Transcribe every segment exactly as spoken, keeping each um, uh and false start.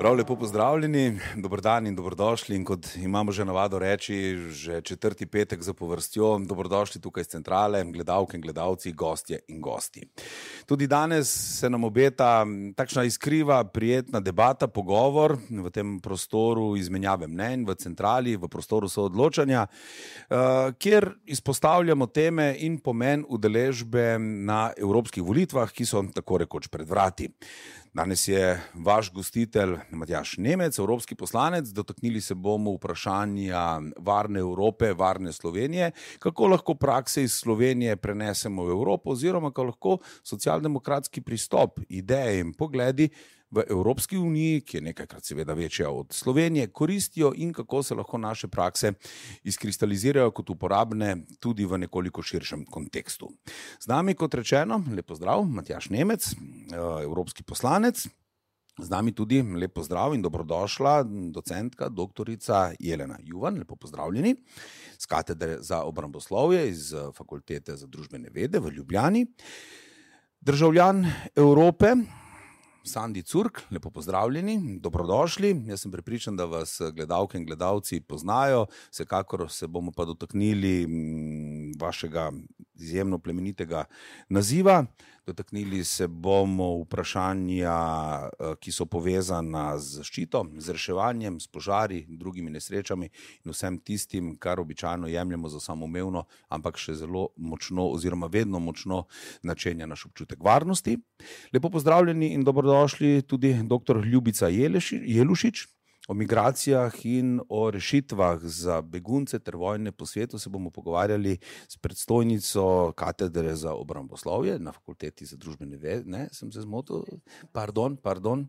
Prav lepo pozdravljeni, dober dan in dobrodošli in kot imamo že navado reči, že četrti petek zapovrstjo, dobrodošli tukaj z centrale, gledalke in gledalci, gostje in gosti. Tudi danes se nam obeta takšna iskriva, prijetna debata, pogovor v tem prostoru izmenjave mnenj, v centrali, v prostoru soodločanja, kjer izpostavljamo teme in pomen udeležbe na evropskih volitvah, ki so tako rekoč pred vrati. Danes je vaš gostitelj Matjaž Nemec, evropski poslanec. Dotaknili se bomo vprašanja varne Evrope, varne Slovenije, kako lahko prakse iz Slovenije prenesemo v Evropo oziroma kako lahko socialdemokratski pristop, ideje in pogledi v Evropski uniji, ki je nekajkrat seveda večja od Slovenije, koristijo in kako se lahko naše prakse izkristalizirajo kot uporabne tudi v nekoliko širšem kontekstu. Z nami, kot rečeno, lep pozdrav, Matjaž Nemec, evropski poslanec. Z nami tudi lep pozdrav in dobrodošla docentka, doktorica Jelena Juvan, lepo pozdravljeni, z katedre za obramboslovje iz Fakultete za družbene vede v Ljubljani. Državljan Evrope, Sandi Curk, lepo pozdravljeni, dobrodošli. Jaz sem prepričan, da vas gledalke in gledalci poznajo, vsekakor se bomo pa dotaknili vašega izjemno plemenitega naziva. Dotaknili se bomo vprašanja, ki so povezana z zaščito, z reševanjem, s požari, drugimi nesrečami in vsem tistim, kar običajno jemljemo za samoumevno, ampak še zelo močno oziroma vedno močno načenja naš občutek varnosti. Lepo pozdravljeni in dobrodošli tudi doktor Ljubica Jelušič. O migracijah in o rešitvah za begunce ter vojne po svetu se bomo pogovarjali s predstojnico katedre za obramboslovje na Fakulteti za družbene vede. Ne, sem se zmotil? Pardon, pardon.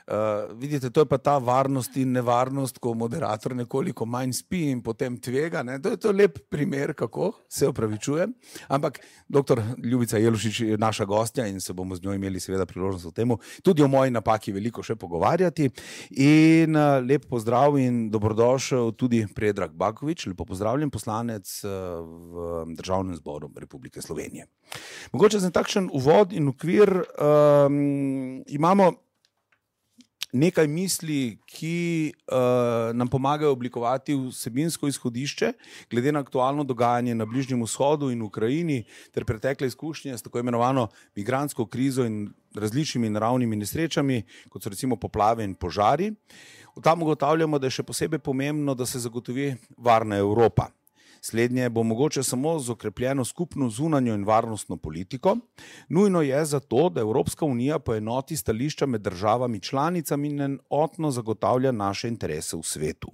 Uh, vidite, to je pa ta varnost in nevarnost, ko moderator nekoliko manj spi in potem tvega. Ne? To je to lep primer, kako se opravičujem. Ampak doktor Ljubica Jelušič je naša gostja in se bomo z njo imeli seveda priložnost o temu tudi o moji napaki veliko še pogovarjati. In uh, lep pozdrav in dobrodošel tudi Predrag Bakovič, lepo pozdravljen, poslanec uh, v Državnem zboru Republike Slovenije. Mogoče za takšen uvod in okvir um, imamo nekaj misli, ki uh, nam pomagajo oblikovati vsebinsko izhodišče, glede na aktualno dogajanje na Bližnjem vzhodu in Ukrajini, ter pretekle izkušnje s tako imenovano migrantsko krizo in različnimi naravnimi nesrečami, kot so recimo poplave in požari. Tam ugotavljamo, da je še posebej pomembno, da se zagotovi varna Evropa. Slednje bo mogoče samo z okrepljeno skupno zunanjo in varnostno politiko. Nujno je zato, da Evropska unija poenoti stališča med državami članicami in enotno zagotavlja naše interese v svetu.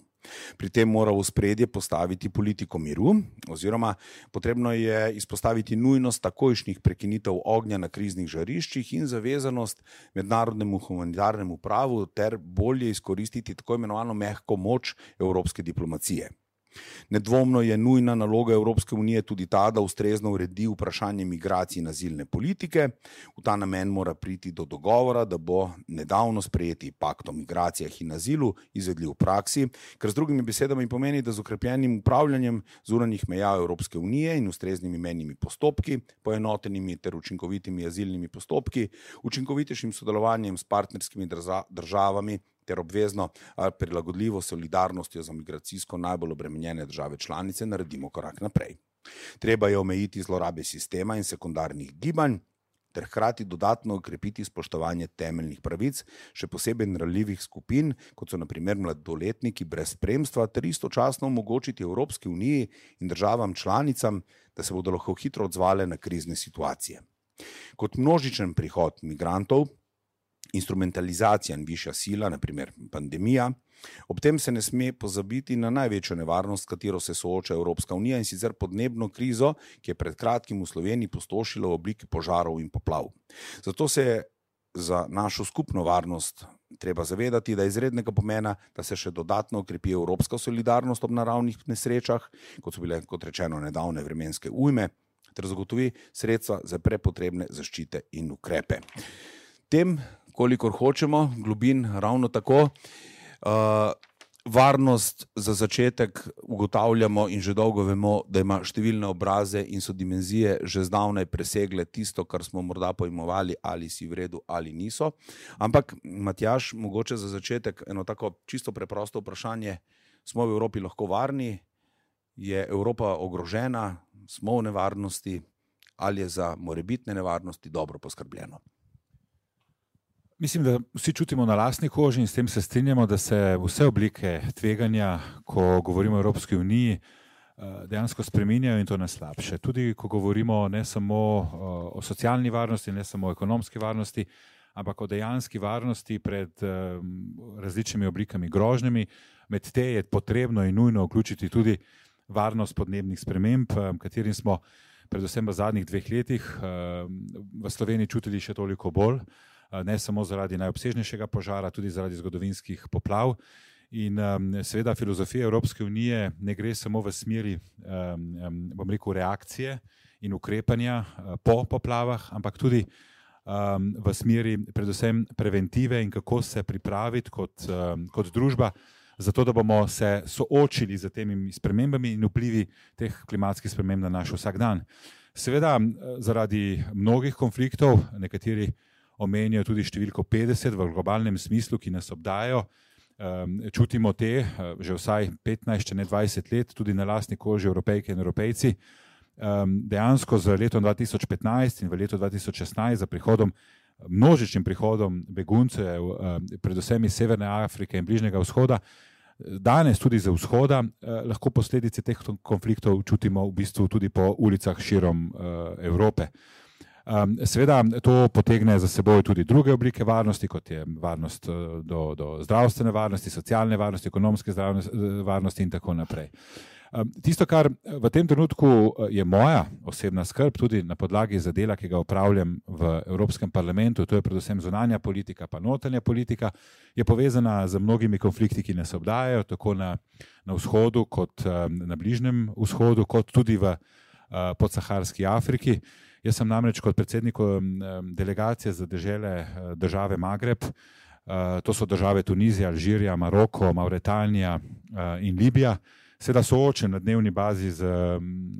Pri tem mora v ospredje postaviti politiko miru, oziroma potrebno je izpostaviti nujnost takojšnjih prekinitev ognja na kriznih žariščih in zavezanost mednarodnemu humanitarnemu pravu ter bolje izkoristiti tako imenovano mehko moč evropske diplomacije. Nedvomno je nujna naloga Evropske unije tudi ta, da ustrezno uredi vprašanje migracij in azilne politike. V ta namen mora priti do dogovora, da bo nedavno sprejeti pakt o migracijah in azilu izvedljiv v praksi, kar z drugimi besedami pomeni, da z okrepljenim upravljanjem zunanjih meja Evropske unije in ustreznimi mejnimi postopki, poenotenimi ter učinkovitimi azilnimi postopki, učinkovitejšim sodelovanjem s partnerskimi državami ter obvezno prilagodljivo solidarnostjo za migracijsko najbolj obremenjene države članice naredimo korak naprej. Treba je omejiti zlorabe sistema in sekundarnih gibanj ter hkrati dodatno okrepiti spoštovanje temeljnih pravic, še posebej ranljivih skupin, kot so na primer mladoletniki brez spremstva, ter istočasno omogočiti Evropski uniji in državam članicam, da se bodo lahko hitro odzvale na krizne situacije. Kot množičen prihod migrantov, instrumentalizacija in višja sila, na primer pandemija. Ob tem se ne sme pozabiti na največjo nevarnost, s katero se sooča Evropska unija, in sicer podnebno krizo, ki je pred kratkim v Sloveniji pustošila v obliki požarov in poplav. Zato se je za našo skupno varnost treba zavedati, da je izrednega pomena, da se še dodatno okrepi evropska solidarnost ob naravnih nesrečah, kot so bile, kot rečeno, nedavne vremenske ujme, ter zagotovi sredstva za prepotrebne zaščite in ukrepe. Tem, kolikor hočemo, globin ravno tako. Uh, varnost za začetek ugotavljamo in že dolgo vemo, da ima številne obraze in so dimenzije že zdavnaj presegle tisto, kar smo morda pojmovali, ali si v redu ali niso. Ampak, Matjaž, mogoče za začetek eno tako čisto preprosto vprašanje. Smo v Evropi lahko varni? Je Evropa ogrožena? Smo v nevarnosti? Ali je za morebitne nevarnosti dobro poskrbljeno? Mislim, da vsi čutimo na lastni koži in s tem se strinjamo, da se vse oblike tveganja, ko govorimo o Evropski uniji, dejansko spreminjajo in to na slabše. Tudi ko govorimo ne samo o socialni varnosti, ne samo o ekonomski varnosti, ampak o dejanski varnosti pred različnimi oblikami grožnjami. Med te je potrebno in nujno vključiti tudi varnost podnebnih sprememb, katerim smo predvsem v zadnjih dveh letih v Sloveniji čutili še toliko bolj. Ne samo zaradi najobsežnejšega požara, tudi zaradi zgodovinskih poplav. In um, seveda filozofija Evropske unije ne gre samo v smeri um, bom rekel, reakcije in ukrepanja uh, po poplavah, ampak tudi um, v smeri predvsem preventive in kako se pripraviti kot, um, kot družba, zato da bomo se soočili z temi spremembami in vplivi teh klimatskih sprememb na naš vsakdan. Seveda zaradi mnogih konfliktov, nekateri omenijo tudi številko petdeset v globalnem smislu, ki nas obdajajo. Čutimo te že vsaj petnajst, če ne dvajset let, tudi na lastni koži Evropejke in Evropejci. Dejansko z letom dva tisoč petnajst in v letu dva tisoč šestnajst za prihodom, množičnim prihodom beguncev, predvsem iz Severne Afrike in Bližnjega vzhoda, danes tudi za vzhoda, lahko posledice teh konfliktov čutimo v bistvu tudi po ulicah širom Evrope. Seveda to potegne za seboj tudi druge oblike varnosti, kot je varnost do, do zdravstvene varnosti, socialne varnosti, ekonomske varnosti in tako naprej. Tisto, kar v tem trenutku je moja osebna skrb, tudi na podlagi za dela, ki ga opravljam v Evropskem parlamentu, to je predvsem zunanja politika, pa notranja politika, je povezana z mnogimi konflikti, ki nas obdajajo, tako na, na vzhodu, kot na Bližnjem vzhodu, kot tudi v podsaharski Afriki. Jaz sem namreč kot predsednik delegacije za dežele države Magreb, to so države Tunizija, Alžirija, Maroko, Mauretanija in Libija, seveda soočen na dnevni bazi z,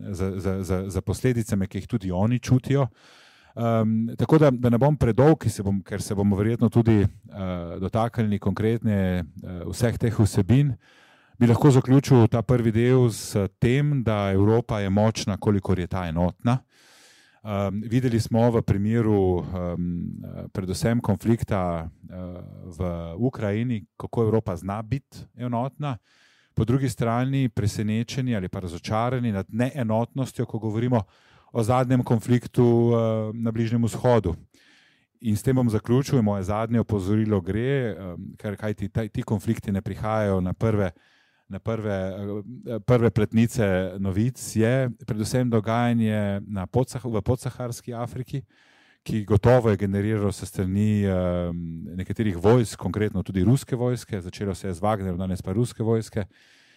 z, z, z, z posledicami, ki jih tudi oni čutijo. Um, tako da, da ne bom predolg, se bom, ker se bomo verjetno tudi uh, dotaknili konkretne uh, vseh teh vsebin, bi lahko zaključil ta prvi del s tem, da Evropa je močna, kolikor je ta enotna. Um, videli smo v primeru um, predvsem konflikta uh, v Ukrajini, kako Evropa zna biti enotna, po drugi strani presenečeni ali pa razočarani nad neenotnostjo, ko govorimo o zadnjem konfliktu uh, na Bližnjem vzhodu. In s tem bom zaključil, moje zadnje opozorilo gre, um, ker kaj ti, ti konflikti ne prihajajo na prve na prve, prve pletnice novic, je predvsem dogajanje na podsah, v podsaharski Afriki, ki gotovo je generiralo se strani um, nekaterih vojsk, konkretno tudi ruske vojske, začelo se je z Wagnerom, danes pa ruske vojske,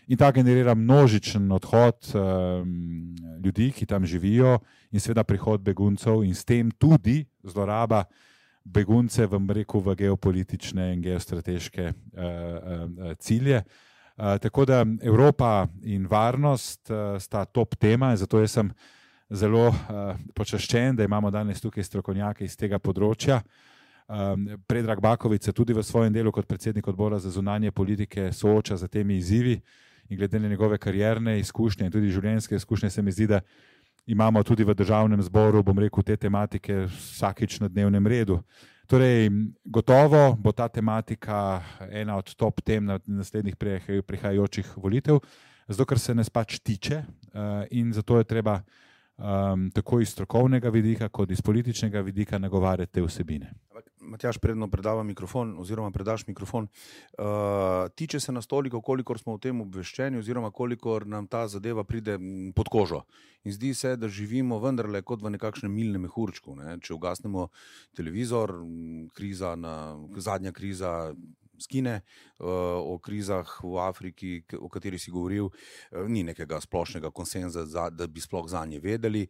in ta generira množičen odhod um, ljudi, ki tam živijo, in seveda prihod beguncev in s tem tudi zloraba begunce v, reku, v geopolitične in geostrateške uh, uh, cilje. Uh, tako da Evropa in varnost uh, sta top tema, zato jaz sem zelo uh, počaščen, da imamo danes tukaj strokovnjake iz tega področja. Um, Predrag Baković se tudi v svojem delu kot predsednik odbora za zunanje politike sooča z temi izzivi in glede na njegove karierne izkušnje in tudi življenjske izkušnje se mi zdi, da imamo tudi v državnem zboru, bom rekel, te tematike vsakič na dnevnem redu. Torej, gotovo bo ta tematika ena od top tem na naslednjih prihajajočih volitev, zato ker se nas pač tiče in zato je treba um, tako iz strokovnega vidika kot iz političnega vidika nagovarjati te vsebine. Matjaž, predno predava mikrofon oziroma predaš mikrofon, uh, tiče se nas toliko, kolikor smo v tem obveščeni oziroma kolikor nam ta zadeva pride pod kožo. In zdi se, da živimo vendarle kot v nekakšnem milnem mehurčku. Ne? Če ugasnemo televizor, kriza na, zadnja kriza skine, o krizah v Afriki, o kateri si govoril, ni nekega splošnega konsenza, da bi sploh zanje vedeli.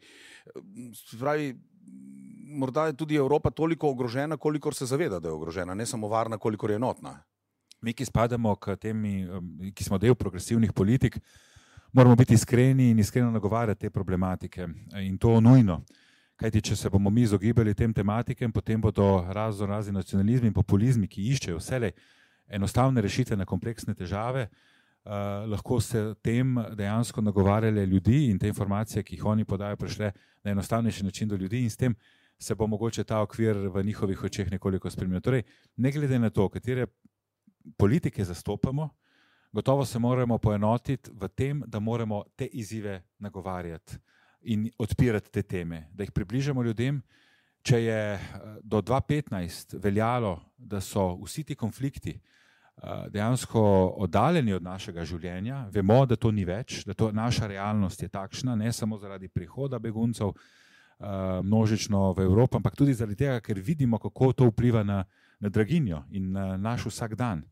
Pravi, morda je tudi Evropa toliko ogrožena, kolikor se zaveda, da je ogrožena, ne samo varna, kolikor je enotna. Mi, ki spadamo k temi, ki smo del progresivnih politik, moramo biti iskreni in iskreno nagovarjati te problematike in to nujno. Kajti, če se bomo mi izogibali tem tematikem, potem bodo razno razni nacionalizmi in populizmi, ki iščejo vselej enostavne rešitve na kompleksne težave, uh, lahko se tem dejansko nagovarjali ljudi in te informacije, ki jih oni podajo, prišle na enostavnejši način do ljudi in s tem se bo mogoče ta okvir v njihovih očeh nekoliko spremenil. Torej, ne glede na to, katere politike zastopamo, gotovo se moramo poenotiti v tem, da moramo te izzive nagovarjati in odpirati te teme, da jih približamo ljudem. Če je do dva tisoč petnajst veljalo, da so vsi ti konflikti dejansko oddaljeni od našega življenja, vemo, da to ni več, da to naša realnost je takšna, ne samo zaradi prihoda beguncev množično v Evropo, ampak tudi zaradi tega, ker vidimo, kako to vpliva na, na draginjo in na naš vsak dan.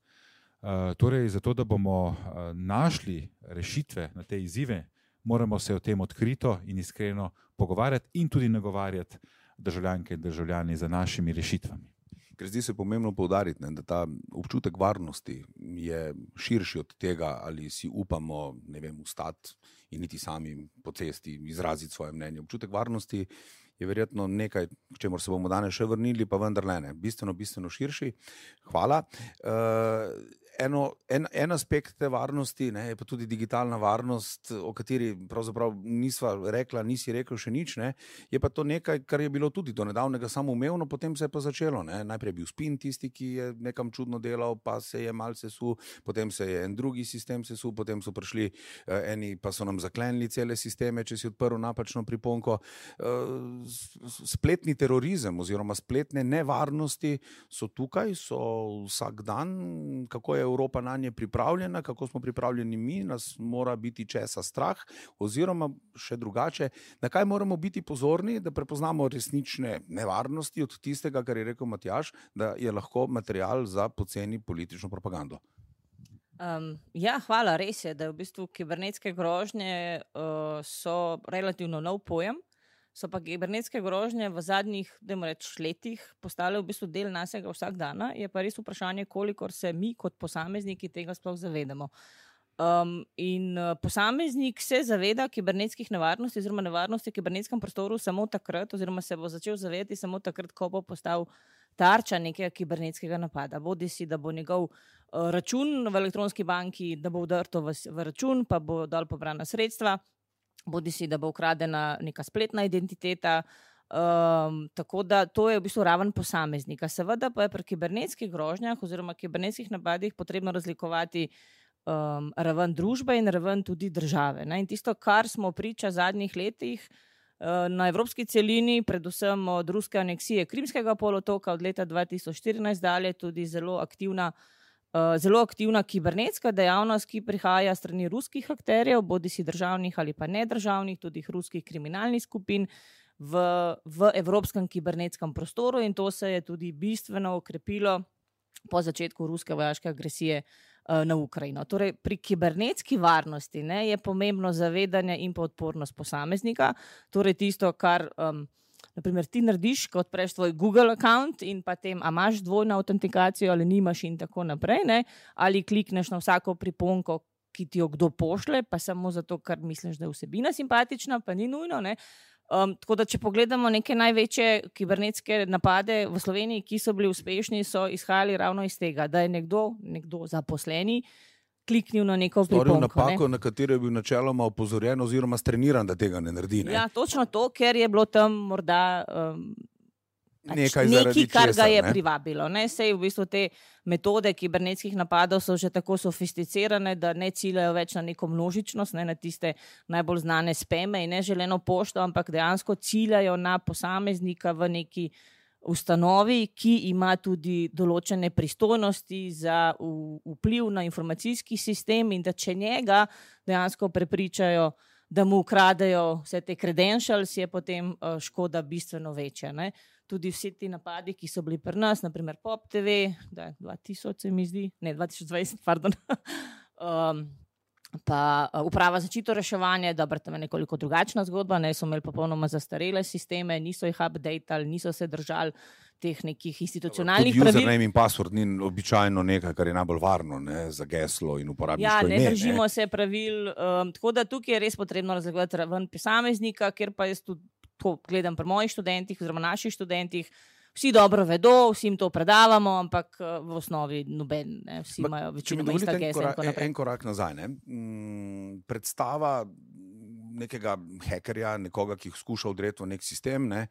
Torej, zato, da bomo našli rešitve na te izzive, moramo se o tem odkrito in iskreno pogovarjati in tudi nagovarjati državljanke in državljani za našimi rešitvami. Ker zdi se pomembno poudariti, ne, da ta občutek varnosti je širši od tega, ali si upamo, ne vem, vstati in niti sami po cesti izraziti svoje mnenje. Občutek varnosti je verjetno nekaj, k čemur se bomo danes še vrnili, pa vendarle ne, bistveno, bistveno širši. Hvala. Uh, Eno, en, en aspekt te varnosti, ne, je pa tudi digitalna varnost, o kateri pravzaprav nisva rekla, nisi rekel še nič, ne, je pa to nekaj, kar je bilo tudi do nedavnega samoumevno, potem se je pa začelo. Ne. Najprej je bil spin tisti, ki je nekam čudno delal, pa se je malce sesul, potem se je en drugi sistem sesul, potem so prišli eh, eni, pa so nam zaklenili cele sisteme, če si odprl napačno priponko. Eh, spletni terorizem oziroma spletne nevarnosti so tukaj, so vsak dan. Kako je Evropa na nje pripravljena, kako smo pripravljeni mi, nas mora biti česa strah, oziroma še drugače, na kaj moramo biti pozorni, da prepoznamo resnične nevarnosti od tistega, kar je rekel Matjaž, da je lahko material za poceni politično propagando. Um, ja, hvala, res je, da je v bistvu kibernetske grožnje uh, so relativno nov pojem. So pa kibernetske grožnje v zadnjih, dajmo reči, letih postale v bistvu del našega vsak dana, je pa res vprašanje, kolikor se mi kot posamezniki tega sploh zavedamo. Um, in uh, posameznik se zaveda kibernetskih nevarnosti oziroma nevarnosti v kibernetskem prostoru samo takrat oziroma se bo začel zavedati samo takrat, ko bo postal tarča nekega kibernetskega napada. Bodi si, da bo njegov uh, račun v elektronski banki, da bo vdrto v, v račun, pa bo dol pobrana sredstva, bodi si, da bo ukradena neka spletna identiteta, um, tako da to je v bistvu raven posameznika. Seveda pa je pri kibernetskih grožnjah oziroma kibernetskih napadih potrebno razlikovati um, raven družbe in raven tudi države. Ne? In tisto, kar smo priča v zadnjih letih uh, na evropski celini, predvsem od ruske aneksije Krimskega polotoka od leta dva tisoč štirinajst dalje, tudi zelo aktivna Uh, zelo aktivna kibernetska dejavnost, ki prihaja strani ruskih akterjev, bodi si državnih ali pa nedržavnih, tudi ruskih kriminalnih skupin v, v evropskem kibernetskem prostoru in to se je tudi bistveno okrepilo po začetku ruske vojaške agresije uh, na Ukrajino. Torej, pri kibernetski varnosti ne, je pomembno zavedanje in pa odpornost posameznika, torej tisto, kar um, naprimer ti narediš, ko odpreš tvoj Google account in potem, a imaš dvojno autentikacijo ali nimaš in tako naprej, ne? Ali klikneš na vsako priponko, ki ti jo kdo pošle, pa samo zato, ker misliš, da je vsebina simpatična, pa ni nujno. Ne? Um, tako da, če pogledamo neke največje kibernetske napade v Sloveniji, ki so bili uspešni, so izhajali ravno iz tega, da je nekdo, nekdo zaposleni, kliknil na neko priponko. Storil napako, ne? Na katero je bil načeloma opozorjen oziroma streniran, da tega ne naredi. Ne? Ja, točno to, ker je bilo tam morda um, nekaj, nekaj kar česar, ga je ne? privabilo. Ne? Sej v bistvu te metode kibernetskih napadov so že tako sofisticirane, da ne ciljajo več na neko množičnost, ne na tiste najbolj znane spame in neželeno pošto, ampak dejansko ciljajo na posameznika v neki ustanovi, ki ima tudi določene pristojnosti za vpliv na informacijski sistem in da če njega dejansko prepričajo, da mu ukradejo vse te credentials, je potem škoda bistveno večja. Ne? Tudi vsi ti napadi, ki so bili pri nas, naprimer Pop T V, da je dva tisoč se mi zdi, ne, dva tisoč dvajset, pardon, um, pa uprava za zaščito reševanje, dobro, tam je nekoliko drugačna zgodba, ne, so imeli popolnoma zastarele sisteme, niso jih updatali, niso se držali teh nekih institucionalnih pravil. Tudi username in password ni običajno nekaj, kar je najbolj varno, ne, za geslo in uporabniško ime. Ja, ne držimo ne. se pravil, um, tako da tukaj je res potrebno razlikovati raven posameznika, ker pa jaz tudi to gledam pri mojih študentih oziroma naših študentih. Vsi dobro vedo, vsi jim to predavamo, ampak v osnovi noben, ne, vsi Bak, imajo večinoma ista gesla. En, en korak nazaj, ne. Mm, predstava nekega hekerja, nekoga, ki skuša vdreti v nek sistem, ne,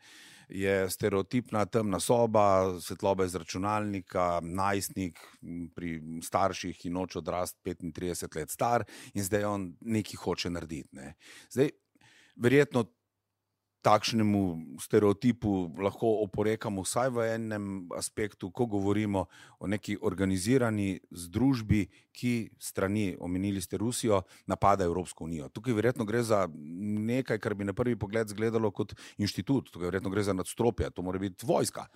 je stereotipna temna soba, svetloba iz računalnika, najstnik pri starših in noče odrast petintrideset let star in zdaj on nekaj hoče narediti. Ne. Zdaj, verjetno takšnemu stereotipu lahko oporekamo vsaj v enem aspektu, ko govorimo o neki organizirani združbi, ki strani, omenili ste Rusijo, napada Evropsko unijo. Tukaj verjetno gre za nekaj, kar bi na prvi pogled izgledalo kot inštitut, tukaj verjetno gre za nadstropje, to mora biti vojska.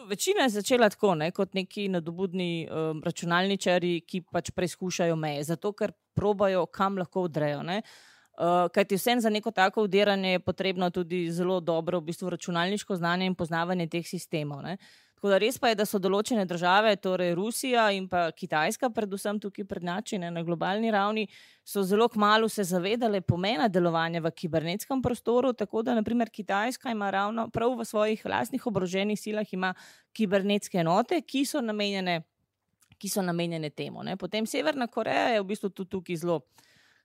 Večina je začela tako, ne, kot neki nadobudni um, računalničari, ki pač preizkušajo meje, zato ker probajo, kam lahko vdrejo, ne. Uh, kajti vsem za neko tako vdiranje je potrebno tudi zelo dobro v bistvu računalniško znanje in poznavanje teh sistemov. Ne? Tako da res pa je, da so določene države, torej Rusija in pa Kitajska, predvsem tukaj prednjači na globalni ravni, so zelo kmalu se zavedale pomena delovanja v kibernetskem prostoru, tako da naprimer Kitajska ima ravno prav v svojih lastnih oboroženih silah ima kibernetske enote, ki so namenjene, ki so namenjene temu. Ne? Potem Severna Koreja je v bistvu tudi tukaj zelo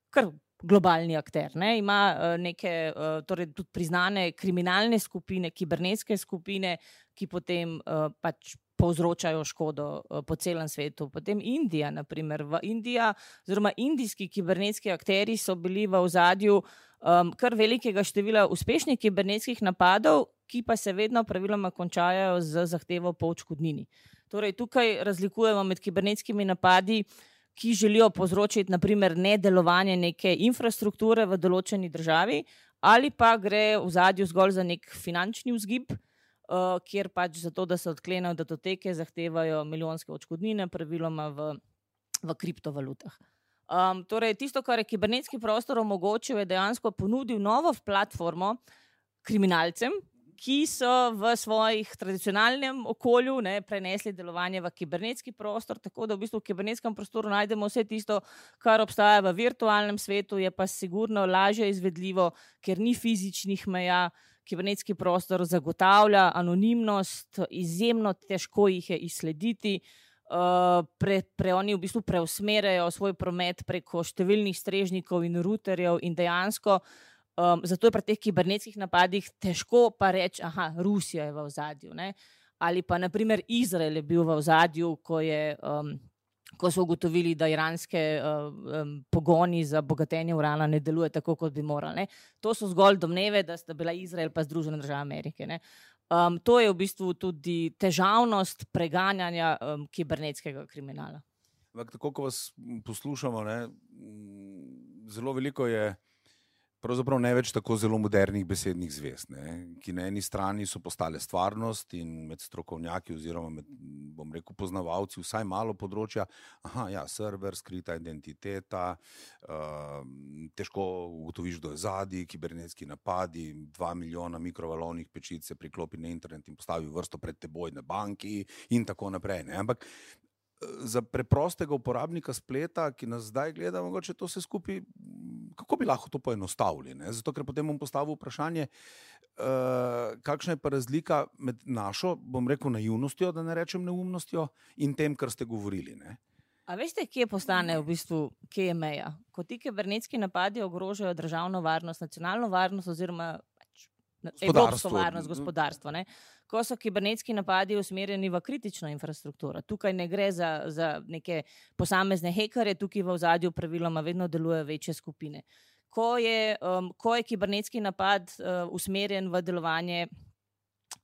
kar globalni akter, ne, ima uh, neke, uh, torej tudi priznane kriminalne skupine, kibernetske skupine, ki potem uh, pač povzročajo škodo uh, po celem svetu. Potem Indija, naprimer, v Indija, oziroma indijski kibernetski akteri so bili v ozadju um, kar velikega števila uspešnih kibernetskih napadov, ki pa se vedno praviloma končajo z zahtevo po odškodnini. Torej, tukaj razlikujemo med kibernetskimi napadi, ki želijo povzročiti naprimer nedelovanje neke infrastrukture v določeni državi, ali pa gre v zadju zgolj za nek finančni vzgib, uh, kjer pač zato, da se odklenejo datoteke, zahtevajo milijonske odškodnine, praviloma v, v kriptovalutah. Um, torej, tisto, kar je kibernetski prostor omogočil, je dejansko ponudil novo platformo kriminalcem, ki so v svojih tradicionalnem okolju, ne, prenesli delovanje v kibernetski prostor, tako da v bistvu v kibernetskem prostoru najdemo vse tisto, kar obstaja v virtualnem svetu, je pa sigurno lažje izvedljivo, ker ni fizičnih meja. Kibernetski prostor zagotavlja anonimnost, izjemno težko jih je izslediti. Uh, pre, pre oni v bistvu preusmerjajo svoj promet preko številnih strežnikov in ruterjev in dejansko Um, zato je pri teh kibernetskih napadih težko pa reči, aha, Rusija je v ozadju, ne? Ali pa naprimer Izrael je bil v ozadju, ko, je, um, ko so ugotovili, da iranske uh, um, pogoni za bogatenje urana ne deluje tako, kot bi morali. Ne? To so zgolj domneve, da sta bila Izrael pa Združene države Amerike. Ne? Um, to je v bistvu tudi težavnost preganjanja um, kibernetskega kriminala. Tako, ko vas poslušamo, ne, zelo veliko je pravzaprav ne več tako zelo modernih besednih zvez, ne, ki na eni strani so postale stvarnost in med strokovnjaki oziroma med, bom rekel, poznavalci vsaj malo področja, aha, ja, server, skrita identiteta, uh, težko ugotoviš, kdo je zadaj, kibernetski napadi, dva milijona mikrovalovnih pečic se priklopi na internet in postavi vrsto pred teboj na banki in tako naprej, ne, ampak za preprostega uporabnika spleta, ki nas zdaj gleda, mogoče to vse skupaj, kako bi lahko to poenostavili? Ne? Zato, ker potem bom postavil vprašanje, uh, kakšna je pa razlika med našo, bom rekel, naivnostjo, da ne rečem neumnostjo, in tem, kar ste govorili. Ne? A veste, kje postane v bistvu, kje je meja? Ko ti kibernetski napadi ogrožajo državno varnost, nacionalno varnost oziroma pač, evropsko varnost, gospodarstvo, ne? Ko so kibernetski napadi usmerjeni v kritično infrastrukturo. Tukaj ne gre za, za neke posamezne hekerje, tukaj v ozadju praviloma vedno delujejo večje skupine. Ko je, um, ko je kibernetski napad uh, usmerjen v delovanje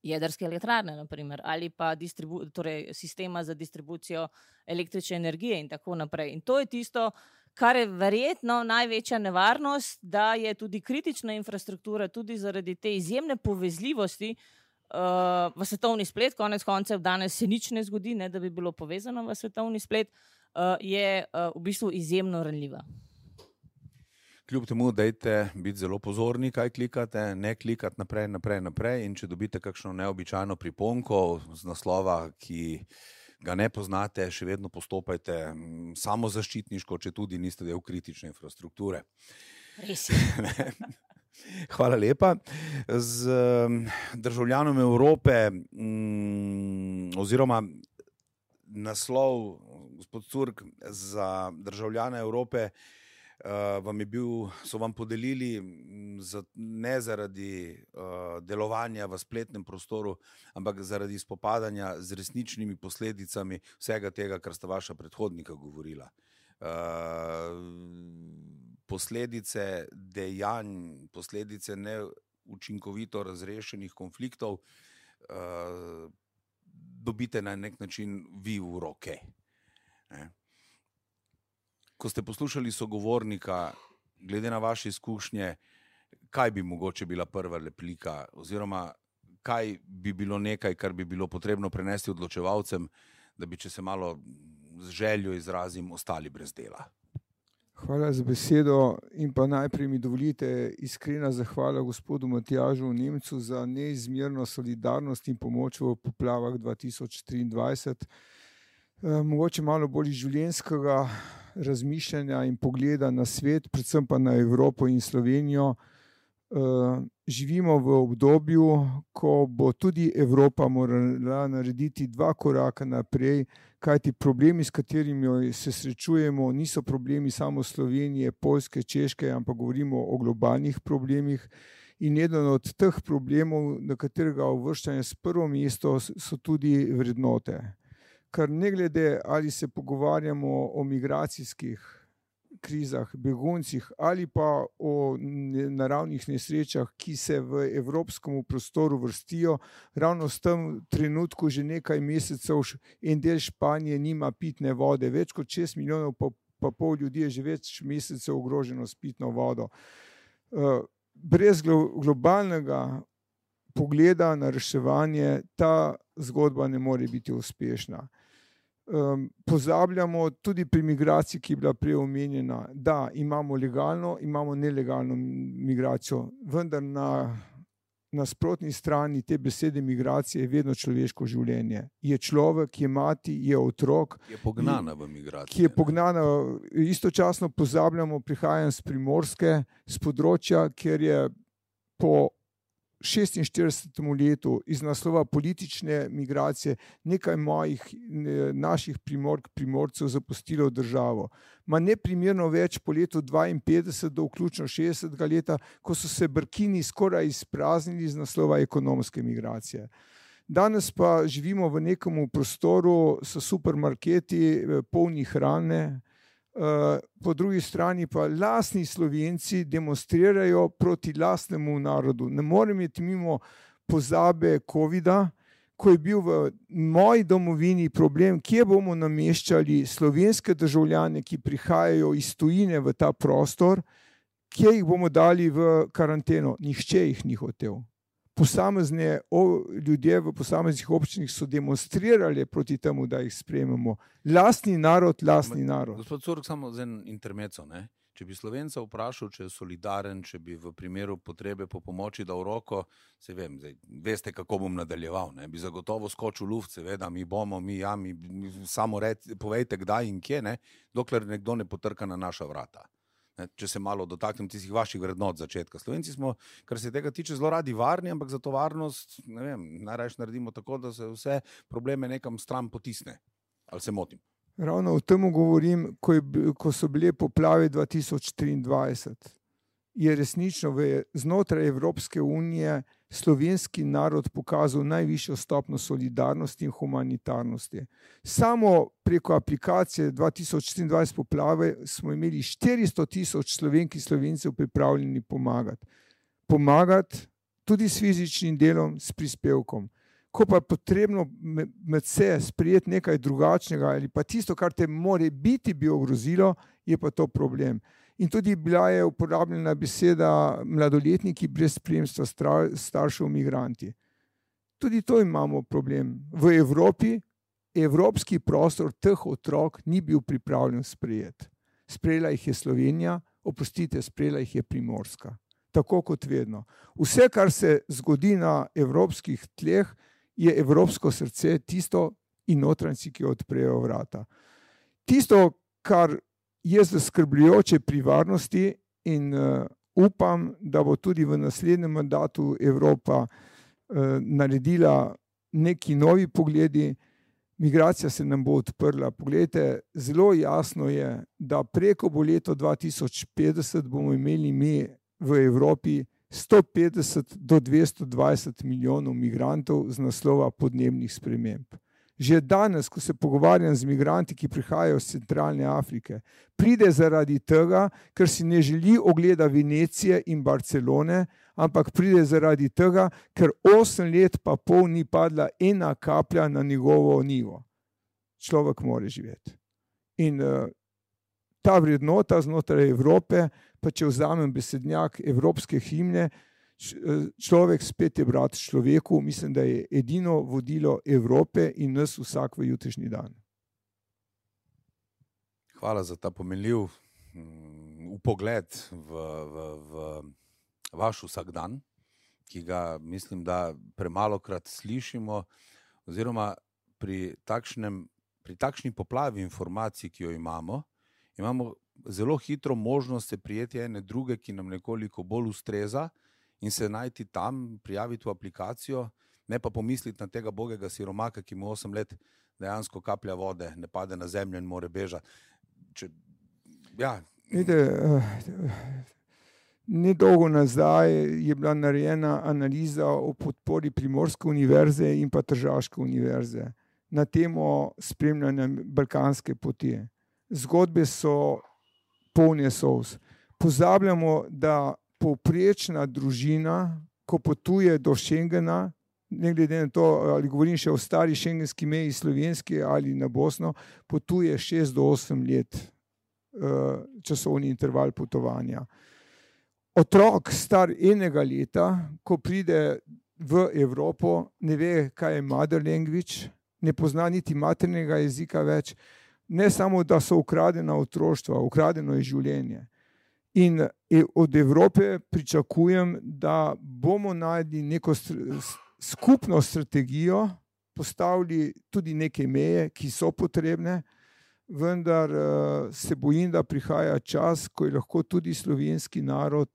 jedrske elektrarne, naprimer, ali pa distribu- torej sistema za distribucijo električne energije in tako naprej. In to je tisto, kar je verjetno največja nevarnost, da je tudi kritična infrastruktura, tudi zaradi te izjemne povezljivosti Uh, v svetovni splet, konec koncev danes se nič ne zgodi, ne, da bi bilo povezano v svetovni splet, uh, je uh, v bistvu izjemno ranljiva. Kljub temu, dajte biti zelo pozorni, kaj klikate, ne klikati naprej, naprej, naprej in če dobite kakšno neobičajno priponko z naslova, ki ga ne poznate, še vedno postopajte samozaščitniško, če tudi niste del kritične infrastrukture. Res je. Hvala lepa. Z državljanom Evrope mm, oziroma naslov, gospod Curk, za državljane Evrope uh, vam je bil, so vam podelili za, ne zaradi uh, delovanja v spletnem prostoru, ampak zaradi spopadanja z resničnimi posledicami vsega tega, kar sta vaša predhodnika govorila. Uh, posledice dejanj, posledice neučinkovito razrešenih konfliktov uh, dobite na nek način vi v roke. Ne? Ko ste poslušali sogovornika, glede na vaše izkušnje, kaj bi mogoče bila prva replika oziroma kaj bi bilo nekaj, kar bi bilo potrebno prenesti odločevalcem, da bi, če se malo z željo izrazim, ostali brez dela? Hvala za besedo in pa najprej mi dovolite iskrena zahvala gospodu Matjažu Nemcu za neizmerno solidarnost in pomoč v poplavah dva tisoč triindvajset. Mogoče malo bolj življenjskega razmišljanja in pogleda na svet, predvsem pa na Evropo in Slovenijo. Živimo v obdobju, ko bo tudi Evropa morala narediti dva koraka naprej, kajti problemi, s katerimi se srečujemo, niso problemi samo Slovenije, Poljske, Češke, ampak govorimo o globalnih problemih. In eden od teh problemov, na katerega uvrščanje s prvo mesto, so tudi vrednote. Kar ne glede, ali se pogovarjamo o migracijskih krizah, beguncih ali pa o naravnih nesrečah, ki se v evropskem prostoru vrstijo, ravno v tem trenutku že nekaj mesecev en del Španije nima pitne vode. Več kot šest milijonov pa, pa pol ljudi je že več mesecev ogroženo s pitno vodo. Brez globalnega pogleda na reševanje ta zgodba ne more biti uspešna. Um, pozabljamo tudi pri migraciji, ki je bila prej omenjena, da imamo legalno, imamo nelegalno migracijo, vendar na nasprotni strani te besede migracije je vedno človeško življenje. Je človek, je mati, je otrok. Je pognana v migracijo. Ki je pognana, istočasno pozabljamo, prihajam z Primorske, z področja, kjer je po šestinštiridesetem letu iz naslova politične migracije nekaj mojih naših primork, primorcev zapustilo državo. Ma neprimerno več po letu dvainpetdeset do vključno šestdesetega leta, ko so se Brkini skoraj izpraznili iz naslova ekonomske migracije. Danes pa živimo v nekem prostoru s supermarketi polni hrane, po drugi strani pa lastni Slovenci demonstrirajo proti lastnemu narodu. Ne morem iti mimo pozabe covida, ko je bil v moji domovini problem, kje bomo nameščali slovenske državljane, ki prihajajo iz tujine v ta prostor, kje jih bomo dali v karanteno. Nihče jih ni hotel. Posamezne ljudje v posameznih občinah so demonstrirali proti temu, da jih sprejmemo. Lastni narod, lastni narod. Gospod Curk, samo za en intermezzo, ne? Če bi Slovenca vprašal, če je solidaren, če bi v primeru potrebe po pomoči dal roko, se vem, zdaj, veste, kako bom nadaljeval, ne? Bi zagotovo skočil luft, seveda, mi bomo, mi, ja, mi, mi samo red, povejte, kdaj in kje, ne? Dokler nekdo ne potrka na naša vrata. Ne, če se malo dotaknem tistih vaših vrednot začetka. Slovenci smo, kar se tega tiče, zelo radi varni, ampak za to varnost, ne vem, najrajši naredimo tako, da se vse probleme nekam stran potisne. Ali se motim? Ravno o tem govorim, ko, je, ko so bile poplave dva tisoč triindvajset. Je resnično v, znotraj Evropske unije slovenski narod pokazal najvišjo stopnjo solidarnosti in humanitarnosti. Samo preko aplikacije dva tisoč triindvajset poplave smo imeli štiristo tisoč Slovenk in Slovencev pripravljeni pomagati. Pomagati tudi s fizičnim delom, s prispevkom. Ko pa je potrebno med se sprejeti nekaj drugačnega ali pa tisto, kar te more biti bi ogrozilo, je pa to problem. In tudi bila je uporabljena beseda mladoletniki brez spremstva staršev migranti. Tudi to imamo problem. V Evropi, evropski prostor teh otrok ni bil pripravljen sprejeti. Sprejela jih je Slovenija, Oprostite, sprejela jih je Primorska. Tako kot vedno. Vse, kar se zgodi na evropskih tleh, je evropsko srce tisto in notranjci, ki odprejo vrata. Tisto, kar je zaskrbljujoče pri varnosti in uh, upam, da bo tudi v naslednjem mandatu Evropa uh, naredila neki novi pogledi, migracija se nam bo odprla. Poglejte, zelo jasno je, da preko bo leto dva tisoč petdeset bomo imeli mi v Evropi sto petdeset do dvesto dvajset milijonov migrantov z naslova podnebnih sprememb. Že danes, ko se pogovarjam z migranti, ki prihajajo iz centralne Afrike, pride zaradi tega, ker si ne želi ogleda Venecije in Barcelone, ampak pride zaradi tega, ker osem let pa pol ni padla ena kaplja na njegovo nivo. Človek mora živeti. In uh, ta vrednota znotraj Evrope, pa če vzamem besednjak evropske himne, človek spet je brat človeku, mislim, da je edino vodilo Evrope in nas vsak v jutrišnji dan. Hvala za ta pomenljiv um, upogled v, v, v vaš vsakdan, ki ga mislim, da premalokrat slišimo, oziroma pri, takšnem, pri takšni poplavi informacij, ki jo imamo, imamo zelo hitro možnost se prijeti ene druge, ki nam nekoliko bolj ustreza, in se najti tam, prijaviti v aplikacijo, ne pa pomisliti na tega bogega siromaka, ki mu osem let dejansko kaplja vode, ne pade na zemljo in more bežati. Če, ja. Vide, nedolgo nazaj je bila narejena analiza o podpori Primorske univerze in pa Tržaške univerze na temo spremljanja balkanske poti. Zgodbe so polne solz. Pozabljamo, da povprečna družina, ko potuje do Schengena, ne glede na to, ali govorim še o stari šengenski meji slovenski ali na Bosno, potuje šest do osem let uh, časovni interval potovanja. Otrok star enega leta, ko pride v Evropo, ne ve, kaj je mother language, ne pozna niti maternega jezika več, ne samo, da so ukradena otroštva, ukradeno je življenje. In od Evrope pričakujem, da bomo našli neko skupno strategijo, postavili tudi neke meje, ki so potrebne, vendar se bojim, da prihaja čas, ko je lahko tudi slovenski narod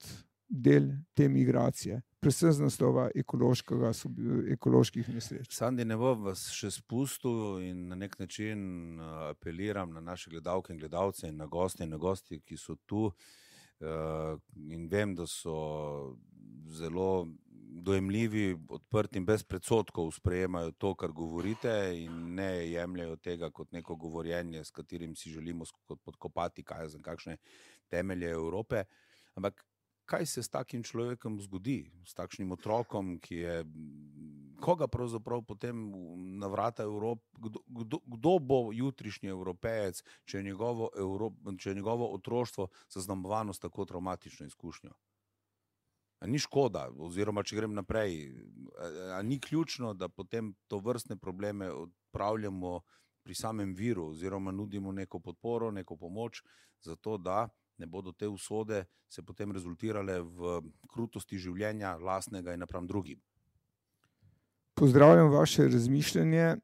del te migracije, predvsem z naslova ekoloških nesreč. Sandi, ne bom vas še spustil in na nek način apeliram na naše gledalke in gledalce in na goste in na gosti, ki so tu. Uh, in vem, da so zelo dojemljivi, odprti in brez predsodkov sprejemajo to, kar govorite, in ne jemljajo tega kot neko govorjenje, s katerim si želimo podkopati kaj za kakšne temelje Evrope. Ampak kaj se s takim človekom zgodi, s takšnim otrokom, ki je, koga pravzaprav potem na vrata Evrope, kdo, kdo, kdo bo jutrišnji Evropejec, če je njegovo, Evrop, če je njegovo otroštvo zaznamovano s tako traumatično izkušnjo? A ni škoda, oziroma če grem naprej, a ni ključno, da potem to vrstne probleme odpravljamo pri samem viru, oziroma nudimo neko podporo, neko pomoč, zato da ne bodo te usode se potem rezultirale v krutosti življenja lastnega in napram drugim. Pozdravljam vaše razmišljanje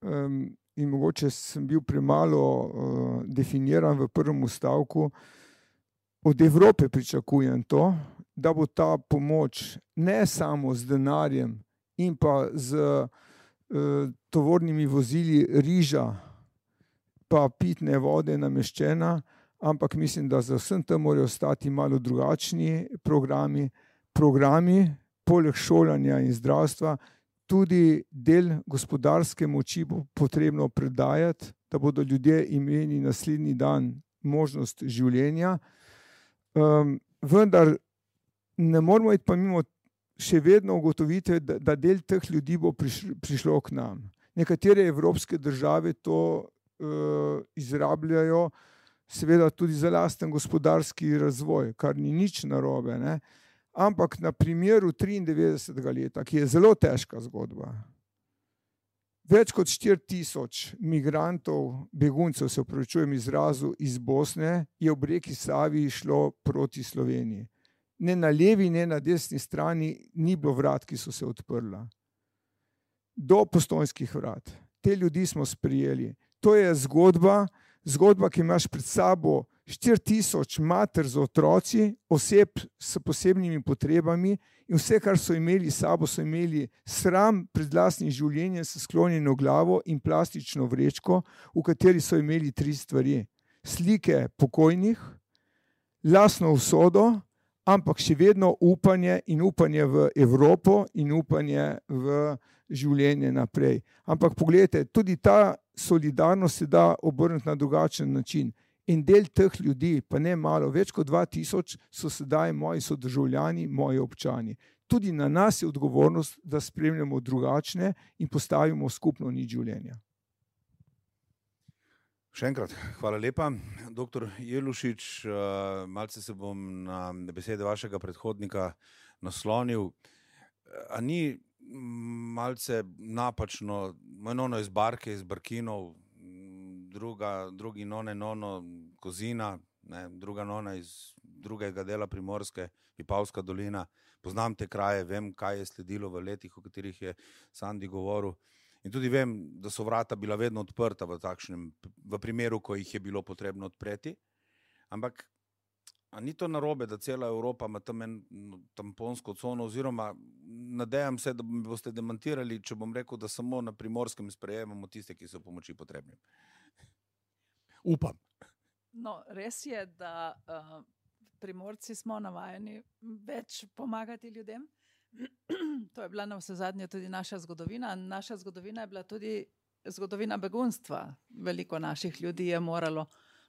um, in mogoče sem bil premalo uh, definiran v prvem stavku. Od Evrope pričakujem to, da bo ta pomoč ne samo z denarjem in pa z uh, tovornimi vozili riža pa pitne vode nameščena, ampak mislim, da za vsem tem morajo ostati malo drugačni programi, programi, poleg šolanja in zdravstva, tudi del gospodarske moči bo potrebno predajati, da bodo ljudje imeli naslednji dan možnost življenja. Um, vendar ne moramo iti pa mimo še vedno ugotoviti, da, da del teh ljudi bo prišlo, prišlo k nam. Nekatere evropske države to uh, izrabljajo, seveda tudi za lasten gospodarski razvoj, kar ni nič narobe, ne? Ampak na primeru triindevetdesetega leta, ki je zelo težka zgodba, Več kot štiri tisoč migrantov, beguncev, se opravičujem izrazu, iz Bosne je ob reki Savi šlo proti Sloveniji. Ne na levi, ne na desni strani ni bilo vrat, ki so se odprla. Do Postojnskih vrat. Te ljudi smo sprijeli. To je zgodba, zgodba, ki imaš pred sabo štiri tisoč mater z otroci, oseb s posebnimi potrebami in vse, kar so imeli s sabo, so imeli sram pred lastnim življenjem s sklonjeno glavo in plastično vrečko, v kateri so imeli tri stvari. Slike pokojnih, lastno usodo, ampak še vedno upanje in upanje v Evropo in upanje v življenje naprej. Ampak pogledajte, tudi ta solidarnost se da obrniti na drugačen način. In del teh ljudi, pa ne malo, več kot dva tisoč, so sedaj moji sodržavljani, moji občani. Tudi na nas je odgovornost, da spremljamo drugačne in postavimo skupno nič življenja. Še enkrat, hvala lepa. Doktor Jelušič, malce se bom na besede vašega predhodnika naslonil. A ni malce napačno, enono iz Barke, iz Barkinov, druga, drugi none nono Kozina, ne, druga nona iz drugega dela Primorske, Vipavska dolina. Poznam te kraje, vem, kaj je sledilo v letih, o katerih je Sandi govoril. In tudi vem, da so vrata bila vedno odprta v takšnem, v primeru, ko jih je bilo potrebno odpreti. Ampak a ni to narobe, da cela Evropa ima tam en tamponsko cono, oziroma nadejam se, da me boste demantirali, če bom rekel, da samo na Primorskem sprejemamo tiste, ki so pomoči potrebni. Upam. No, res je, da uh, Primorci smo navajeni več pomagati ljudem. To je bila na vse zadnje tudi naša zgodovina. Naša zgodovina je bila tudi zgodovina begunstva. Veliko naših ljudi je moralo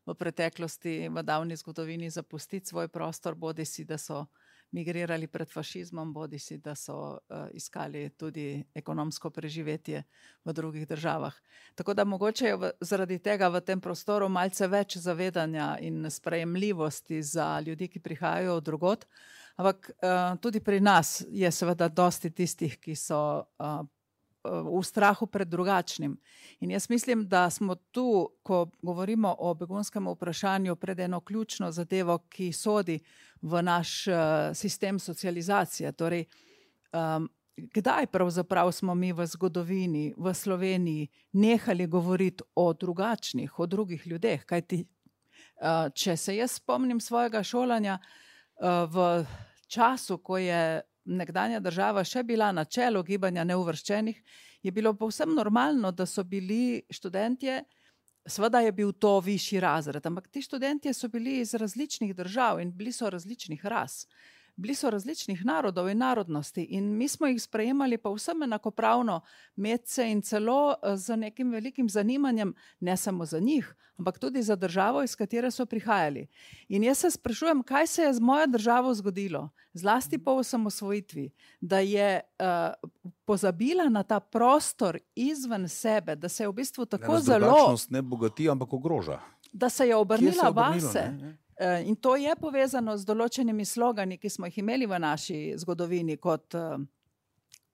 v preteklosti, v davni zgodovini zapustiti svoj prostor, bodi si, da so migrirali pred fašizmom, bodi si, da so uh, iskali tudi ekonomsko preživetje v drugih državah. Tako da mogoče je v, zaradi tega v tem prostoru malce več zavedanja in sprejemljivosti za ljudi, ki prihajajo od drugod, ampak uh, tudi pri nas je seveda dosti tistih, ki so uh, v strahu pred drugačnim. In jaz mislim, da smo tu, ko govorimo o begunskem vprašanju, pred eno ključno zadevo, ki sodi v naš uh, sistem socializacije. Torej, um, kdaj pravzaprav smo mi v zgodovini, v Sloveniji, nehali govoriti o drugačnih, o drugih ljudeh? Kajti, uh, če se jaz spomnim svojega šolanja uh, v času, ko je nekdanja država še bila na čelu gibanja neuvrščenih, je bilo povsem normalno, da so bili študentje, seveda je bil to višji razred, ampak ti študentje so bili iz različnih držav in bili so različnih ras. Bili so različnih narodov in narodnosti in mi smo jih sprejemali pa vsem enakopravno medse in celo z nekim velikim zanimanjem, ne samo za njih, ampak tudi za državo, iz katere so prihajali. In jaz se sprašujem, kaj se je z mojo državo zgodilo, zlasti po osamosvojitvi, da je uh, pozabila na ta prostor izven sebe, da se je v bistvu tako zelo... Drugačnost ne bogati, ampak ogroža. Da se je obrnila se je obrnilo, vase. Ne? In to je povezano z določenimi slogani, ki smo jih imeli v naši zgodovini, kot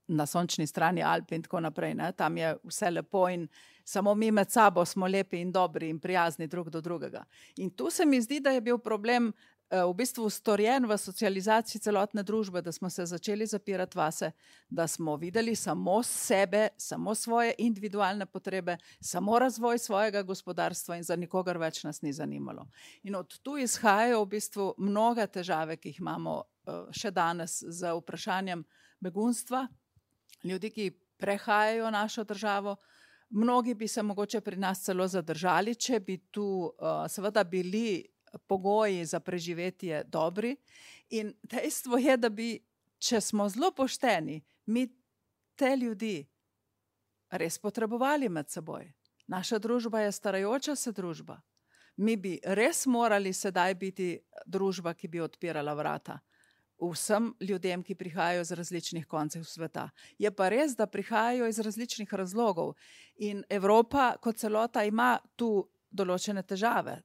na sončni strani Alp in tako naprej. Ne? Tam je vse lepo in samo mi med sabo smo lepi in dobri in prijazni drug do drugega. In tu se mi zdi, da je bil problem v bistvu storjen v socializaciji celotne družbe, da smo se začeli zapirati vase, da smo videli samo sebe, samo svoje individualne potrebe, samo razvoj svojega gospodarstva in za nikogar več nas ni zanimalo. In od tu izhajajo v bistvu mnoge težave, ki jih imamo še danes z vprašanjem begunstva, ljudi, ki prehajajo našo državo. Mnogi bi se mogoče pri nas celo zadržali, če bi tu uh, seveda bili pogoji za preživetje dobri. In dejstvo je, da bi, če smo zelo pošteni, mi te ljudi res potrebovali med seboj. Naša družba je starajoča se družba. Mi bi res morali sedaj biti družba, ki bi odpirala vrata vsem ljudem, ki prihajajo iz različnih koncev sveta. Je pa res, da prihajajo iz različnih razlogov in Evropa kot celota ima tu določene težave.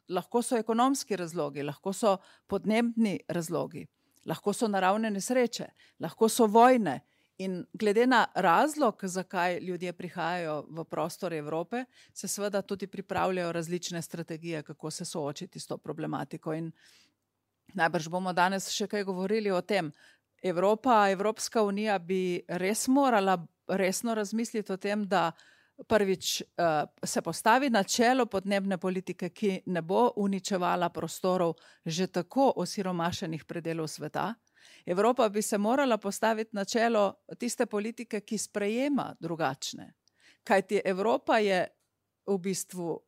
Lahko so ekonomski razlogi, lahko so podnebni razlogi, lahko so naravne nesreče, lahko so vojne In glede na razlog, zakaj ljudje prihajajo v prostor Evrope, se seveda tudi pripravljajo različne strategije, kako se soočiti s to problematiko. In najbrž bomo danes še kaj govorili o tem. Evropa, Evropska unija bi res morala resno razmisliti o tem, da prvič uh, se postavi na čelo podnebne politike, ki ne bo uničevala prostorov že tako osiromašenih predelov sveta. Evropa bi se morala postaviti na čelo tiste politike, ki sprejema drugačne. Kajti Evropa je v bistvu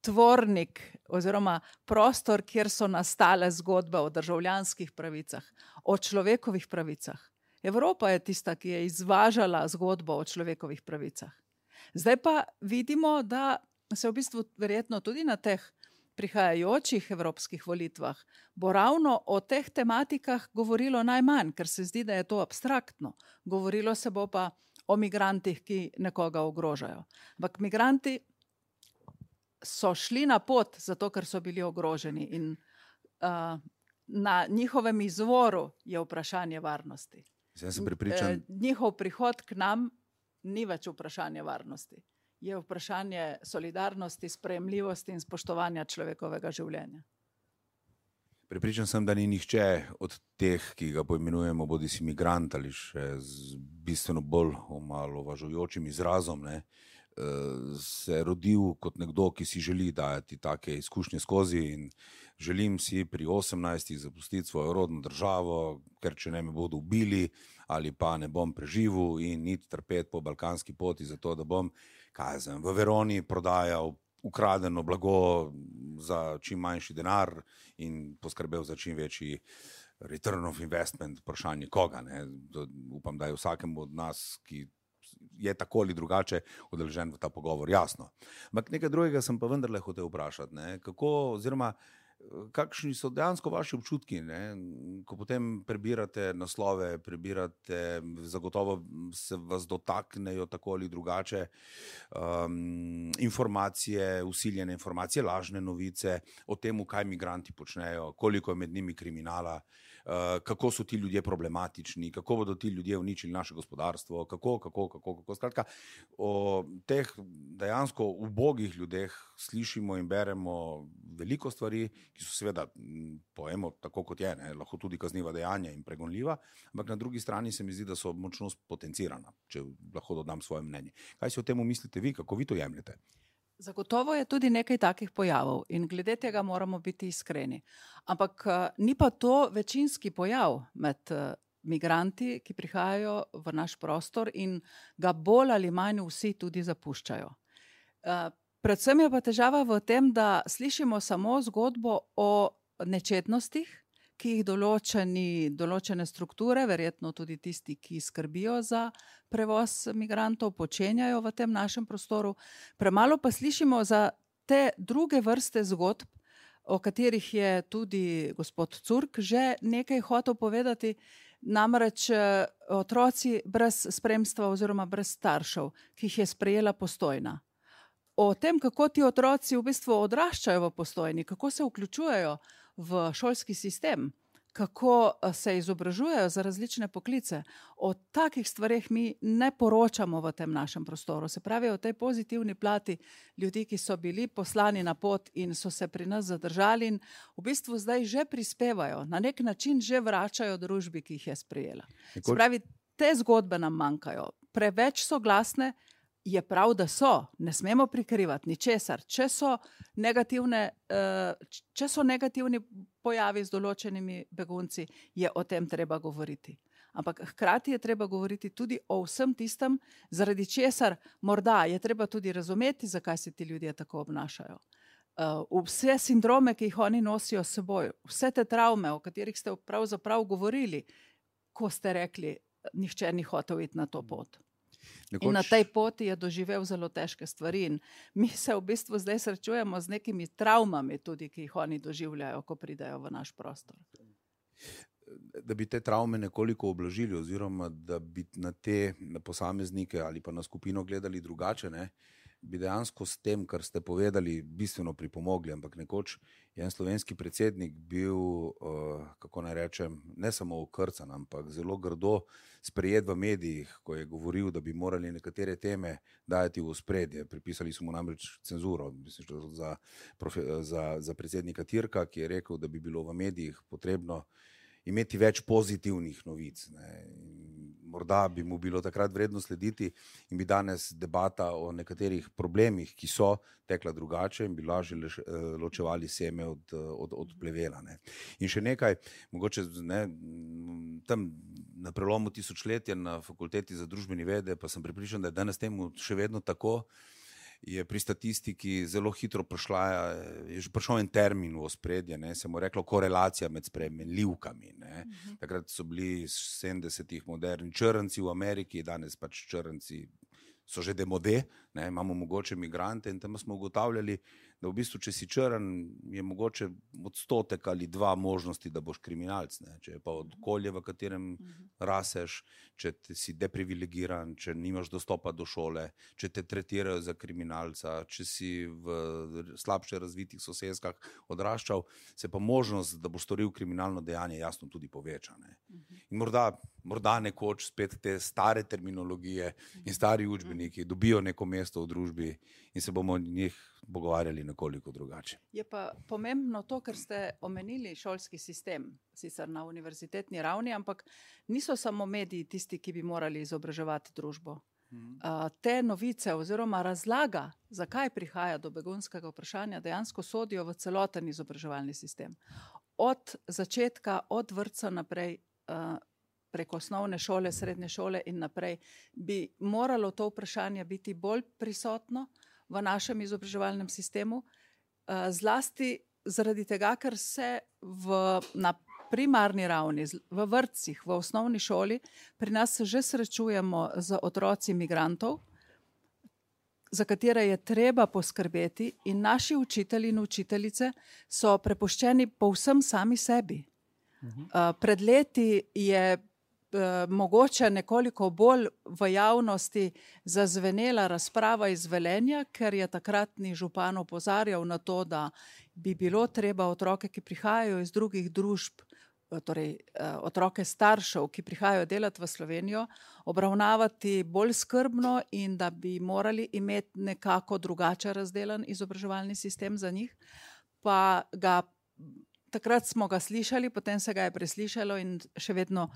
tvornik oziroma prostor, kjer so nastale zgodbe o državljanskih pravicah, o človekovih pravicah. Evropa je tista, ki je izvažala zgodbo o človekovih pravicah. Zdaj pa vidimo, da se v bistvu verjetno tudi na teh prihajajočih evropskih volitvah bo ravno o teh tematikah govorilo najmanj, ker se zdi, da je to abstraktno. Govorilo se bo pa o migrantih, ki nekoga ogrožajo. Ampak migranti so šli na pot zato, ker so bili ogroženi in uh, na njihovem izvoru je vprašanje varnosti. Sem prepričan. Njihov prihod k nam ni več vprašanje varnosti. Je vprašanje solidarnosti, sprejemljivosti in spoštovanja človekovega življenja. Prepričan sem, da ni nihče od teh, ki ga poimenujemo bodisi migrant ali še z bistveno bolj omalovažujočim izrazom, ne, se rodil kot nekdo, ki si želi dajati take izkušnje skozi in želim si pri osemnajstih zapustiti svojo rodno državo, ker če ne me bodo ubili ali pa ne bom preživel in iti trpeti po balkanski poti zato, da bom, kaj znam, v Veroni prodajal ukradeno blago za čim manjši denar in poskrbel za čim večji return of investment, vprašanje koga. Ne? Upam, da je vsakemu od nas, ki je tako ali drugače udeležen v ta pogovor, jasno. Ampak nekaj drugega sem pa vendarle hotel vprašati, ne? Kako, oziroma kakšni so dejansko vaši občutki, ne? Ko potem prebirate naslove, prebirate, zagotovo se vas dotaknejo tako ali drugače um, informacije, usiljene informacije, lažne novice o tem, kaj migranti počnejo, koliko je med njimi kriminala, uh, kako so ti ljudje problematični, kako bodo ti ljudje uničili naše gospodarstvo, kako, kako, kako, kako. Skratka, o teh dejansko ubogih ljudeh slišimo in beremo veliko stvari, ki so seveda, pojemo tako kot je, ne, lahko tudi kazniva dejanja in pregonljiva, ampak na drugi strani se mi zdi, da so močno potencirana, če lahko dodam svoje mnenje. Kaj si o tem mislite vi, kako vi to jemljete? Zagotovo je tudi nekaj takih pojavov in glede tega moramo biti iskreni. Ampak ni pa to večinski pojav med migranti, ki prihajajo v naš prostor in ga bolj ali manj vsi tudi zapuščajo. Predvsem je pa težava v tem, da slišimo samo zgodbo o nečednostih, ki jih določeni, določene strukture, verjetno tudi tisti, ki skrbijo za prevoz migrantov, počenjajo v tem našem prostoru. Premalo pa slišimo za te druge vrste zgodb, o katerih je tudi gospod Curk že nekaj hotel povedati, namreč otroci brez spremstva oziroma brez staršev, ki jih je sprejela Postojna. O tem, kako ti otroci v bistvu odraščajo v Postojni, kako se vključujejo v šolski sistem, kako se izobražujejo za različne poklice. O takih stvareh mi ne poročamo v tem našem prostoru. Se pravi, o tej pozitivni plati ljudi, ki so bili poslani na pot in so se pri nas zadržali in v bistvu zdaj že prispevajo, na nek način že vračajo družbi, ki jih je sprejela. Se pravi, te zgodbe nam manjkajo. Preveč so glasne, je prav, da so, ne smemo prikrivati ničesar. Če so negativne, če so negativni pojavi z določenimi begunci, je o tem treba govoriti. Ampak hkrati je treba govoriti tudi o vsem tistem, zaradi česar morda je treba tudi razumeti, zakaj se ti ljudje tako obnašajo. Vse sindrome, ki jih oni nosijo s seboj, vse te travme, o katerih ste pravzaprav govorili, ko ste rekli, nihče ni hotel iti na to pot. Nekoč... In na tej poti je doživel zelo težke stvari in mi se v bistvu zdaj srečujemo z nekimi travmami tudi, ki jih oni doživljajo, ko pridejo v naš prostor. Da bi te travme nekoliko oblažili oziroma da bi na te na posameznike ali pa na skupino gledali drugače, ne? bi dejansko s tem, kar ste povedali, bistveno pripomogli, ampak nekoč je en slovenski predsednik bil, uh, kako naj rečem, ne samo okrcan, ampak zelo grdo sprejet v medijih, ko je govoril, da bi morali nekatere teme dajati v ospredje. Pripisali so mu namreč cenzuro, mislim, za, za, za predsednika Tirka, ki je rekel, da bi bilo v medijih potrebno imeti več pozitivnih novic. Ne. Morda bi mu bilo takrat vredno slediti in bi danes debata o nekaterih problemih, ki so tekla drugače in bi lažje ločevali seme od, od, od plevela. Ne. In še nekaj, mogoče ne, tam na prelomu tisočletja na fakulteti za družbene vede, pa sem prepričan, da je danes temu še vedno tako, je pri statistiki zelo hitro prišla, je že prišel en termin v ospredje, ne, se mu reklo korelacija med spremenljivkami. Ne. Uh-huh. Takrat so bili sedemdesetih moderni črnci v Ameriki, danes pač črnci so že demode, ne, imamo mogoče migrante in tam smo ugotavljali, da v bistvu, če si črn, je mogoče odstotek ali dva možnosti, da boš kriminalc. Ne. Če je pa okolje, v katerem raseš, če si deprivilegiran, če nimaš dostopa do šole, če te tretirajo za kriminalca, če si v slabše razvitih sosedskah odraščal, se pa možnost, da boš storil kriminalno dejanje, jasno tudi poveča. Ne. In morda, morda nekoč spet te stare terminologije in stari učbeniki dobijo neko mesto v družbi in se bomo njih pogovarjali nekoliko drugače. Je pa pomembno to, ker ste omenili šolski sistem, sicer na univerzitetni ravni, ampak niso samo mediji tisti, ki bi morali izobraževati družbo. Mm. Uh, te novice oziroma razlaga, zakaj prihaja do begunskega vprašanja, dejansko sodijo v celoten izobraževalni sistem. Od začetka, od vrtca naprej, uh, preko osnovne šole, srednje šole in naprej, bi moralo to vprašanje biti bolj prisotno v našem izobraževalnem sistemu, zlasti zaradi tega, ker se v, na primarni ravni, v vrtcih, v osnovni šoli, pri nas se že srečujemo z otroci migrantov, za katere je treba poskrbeti in naši učitelji in učiteljice so prepuščeni povsem sami sebi. Uh-huh. Pred leti je mogoče nekoliko bolj v javnosti zazvenela razprava iz Velenja, ker je takratni župan opozarjal na to, da bi bilo treba otroke, ki prihajajo iz drugih družb, torej otroke staršev, ki prihajajo delati v Slovenijo, obravnavati bolj skrbno in da bi morali imeti nekako drugače razdelan izobraževalni sistem za njih. Pa ga, takrat smo ga slišali, potem se ga je preslišalo in še vedno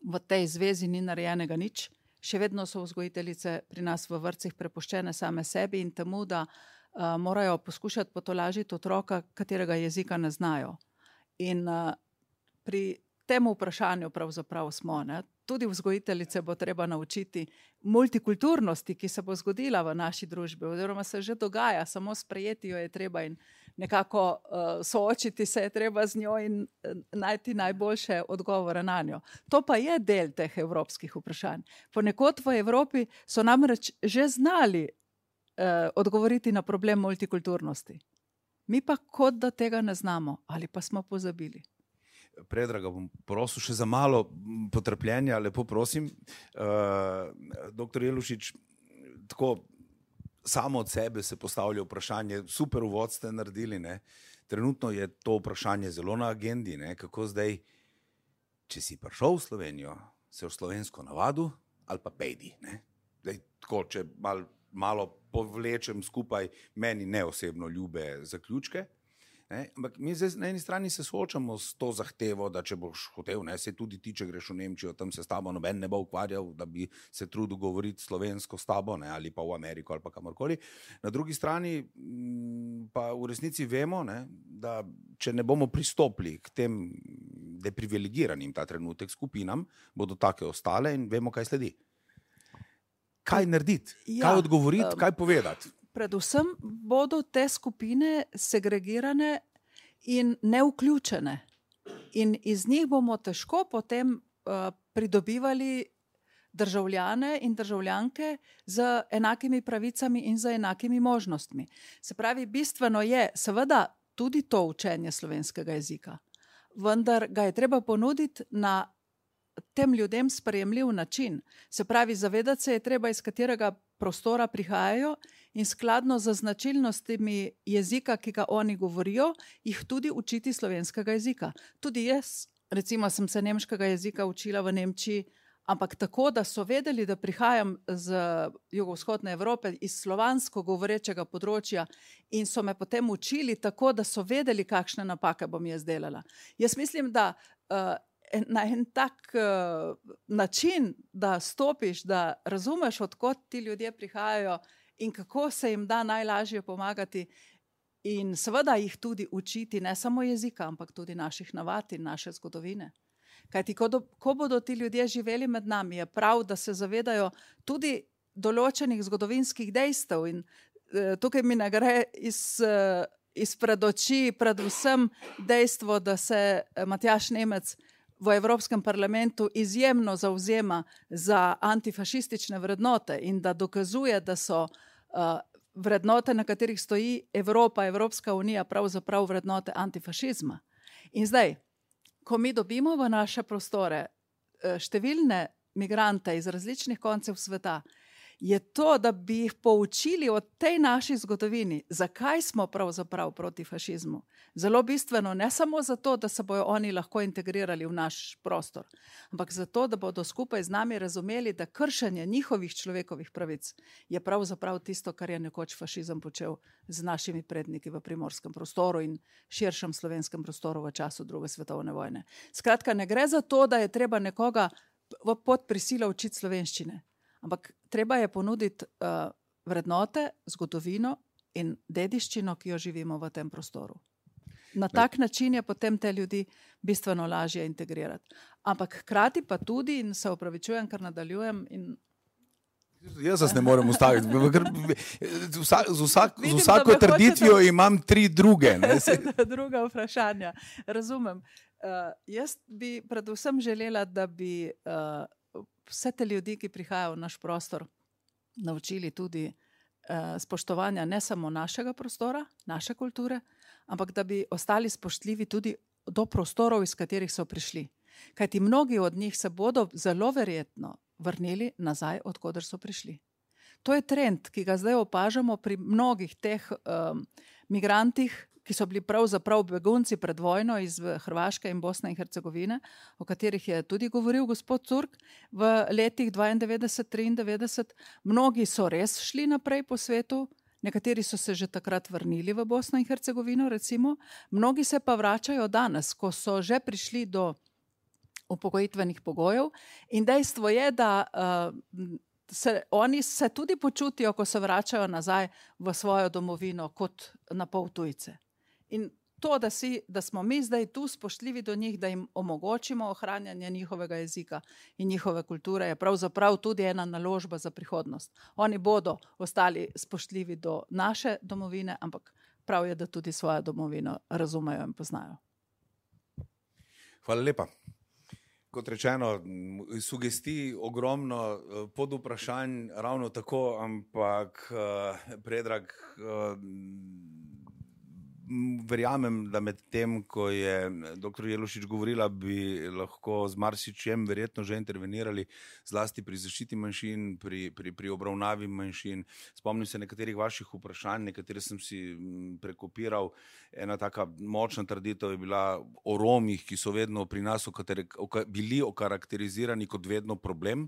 v tej zvezi ni narejenega nič. Še vedno so vzgojiteljice pri nas v vrtcih prepuščene same sebi in temu, da uh, morajo poskušati potolažiti otroka, katerega jezika ne znajo. In uh, pri tem vprašanju pravzaprav smo, ne? Tudi vzgojiteljice bo treba naučiti multikulturnosti, ki se bo zgodila v naši družbi, oziroma se že dogaja, samo sprejeti jo je treba in nekako uh, soočiti se je treba z njo in uh, najti najboljše odgovore na njo. To pa je del teh evropskih vprašanj. Ponekod v Evropi so namreč že znali uh, odgovoriti na problem multikulturnosti. Mi pa kot da tega ne znamo ali pa smo pozabili. Predraga, bom prosil še za malo potrpljenja, lepo prosim. Uh, doktor Jelušič, tako samo od sebe se postavlja vprašanje, super uvod ste naredili, ne? Trenutno je to vprašanje zelo na agendi, ne? Kako zdaj, če si prišel v Slovenijo, se v slovensko navadu ali pa pejdi, ne? Zdaj, tako, če mal, malo povlečem skupaj meni neosebno ljube zaključke, ne? Ampak mi zdaj na eni strani se soočamo s to zahtevo, da če boš hotel, ne, se tudi ti, če greš v Nemčijo, tam se s tabo noben ne bo ukvarjal, da bi se trudil govoriti slovensko s tabo, ne, ali pa v Ameriko ali pa kamorkoli. Na drugi strani pa v resnici vemo, ne, da če ne bomo pristopili k tem deprivilegiranim ta trenutek skupinam, bodo take ostale in vemo, kaj sledi. Kaj narediti? Ja, kaj odgovoriti? Um... Kaj povedati? Predvsem bodo te skupine segregirane in neuključene. In iz njih bomo težko potem uh, pridobivali državljane in državljanke z enakimi pravicami in z enakimi možnostmi. Se pravi, bistveno je seveda tudi to učenje slovenskega jezika, vendar ga je treba ponuditi na tem ljudem sprejemljiv način. Se pravi, zavedati se je treba, iz katerega prostora prihajajo in skladno z značilnostmi jezika, ki ga oni govorijo, jih tudi učiti slovenskega jezika. Tudi jaz, recimo, sem se nemškega jezika učila v Nemčiji, ampak tako, da so vedeli, da prihajam z jugovzhodne Evrope, iz slovansko govorečega področja in so me potem učili tako, da so vedeli, kakšne napake bom jaz delala. Jaz mislim, da uh, na en tak uh, način, da stopiš, da razumeš, odkot ti ljudje prihajajo in kako se jim da najlažje pomagati in seveda jih tudi učiti, ne samo jezika, ampak tudi naših navad in naše zgodovine. Kajti, ko, do, ko bodo ti ljudje živeli med nami, je prav, da se zavedajo tudi določenih zgodovinskih dejstev in uh, tukaj mi ne gre iz... Uh, izpred oči predvsem dejstvo, da se Matjaž Nemec v Evropskem parlamentu izjemno zavzema za antifašistične vrednote in da dokazuje, da so uh, vrednote, na katerih stoji Evropa, Evropska unija, pravzaprav vrednote antifašizma. In zdaj, ko mi dobimo v naše prostore uh, številne migrante iz različnih koncev sveta, je to, da bi jih poučili o tej naši zgodovini, zakaj smo pravzaprav proti fašizmu. Zelo bistveno, ne samo zato, da se bojo oni lahko integrirali v naš prostor, ampak zato, da bodo skupaj z nami razumeli, da kršenje njihovih človekovih pravic je pravzaprav tisto, kar je nekoč fašizem počel z našimi predniki v primorskem prostoru in širšem slovenskem prostoru v času druge svetovne vojne. Skratka, ne gre za to, da je treba nekoga pod prisilo učiti slovenščine, ampak treba je ponuditi uh, vrednote, zgodovino in dediščino, ki jo živimo v tem prostoru. Na tak način je potem te ljudi bistveno lažje integrirati. Ampak hkrati pa tudi, in se opravičujem, ker nadaljujem in jaz vas ne morem ustaviti. Z, vsak, z, vsak, Vidim, z vsako trditvijo hočete... imam tri druge. Ne? Druga vprašanja. Razumem. Uh, jaz bi predvsem želela, da bi uh, vse te ljudi, ki prihajajo v naš prostor, naučili tudi uh, spoštovanja ne samo našega prostora, naše kulture, ampak da bi ostali spoštljivi tudi do prostorov, iz katerih so prišli. Kajti mnogi od njih se bodo zelo verjetno vrnili nazaj, od koder so prišli. To je trend, ki ga zdaj opažamo pri mnogih teh um, migrantih, ki so bili pravzaprav begunci pred vojno iz Hrvaške in Bosne in Hercegovine, o katerih je tudi govoril gospod Turk v letih dvaindevetdeset triindevetdeset. Mnogi so res šli naprej po svetu, nekateri so se že takrat vrnili v Bosno in Hercegovino, recimo. Mnogi se pa vračajo danes, ko so že prišli do upokojitvenih pogojev in dejstvo je, da uh, se, oni se tudi počutijo, ko se vračajo nazaj v svojo domovino kot na pol tujce. In to, da, si, da smo mi zdaj tu spoštljivi do njih, da jim omogočimo ohranjanje njihovega jezika in njihove kulture, je pravzaprav tudi ena naložba za prihodnost. Oni bodo ostali spoštljivi do naše domovine, ampak prav je, da tudi svojo domovino razumejo in poznajo. Hvala lepa. Kot rečeno, sugestij ogromno, pod vprašanj ravno tako, ampak Predrag, verjamem, da med tem, ko je doktor Jelušič govorila, bi lahko z marsičem verjetno že intervenirali, zlasti pri zaščiti manjšin, pri, pri, pri obravnavi manjšin. Spomnim se nekaterih vaših vprašanj, nekatere sem si prekopiral. Ena taka močna trditev je bila o Romih, ki so vedno pri nas okatere, oka, bili okarakterizirani kot vedno problem,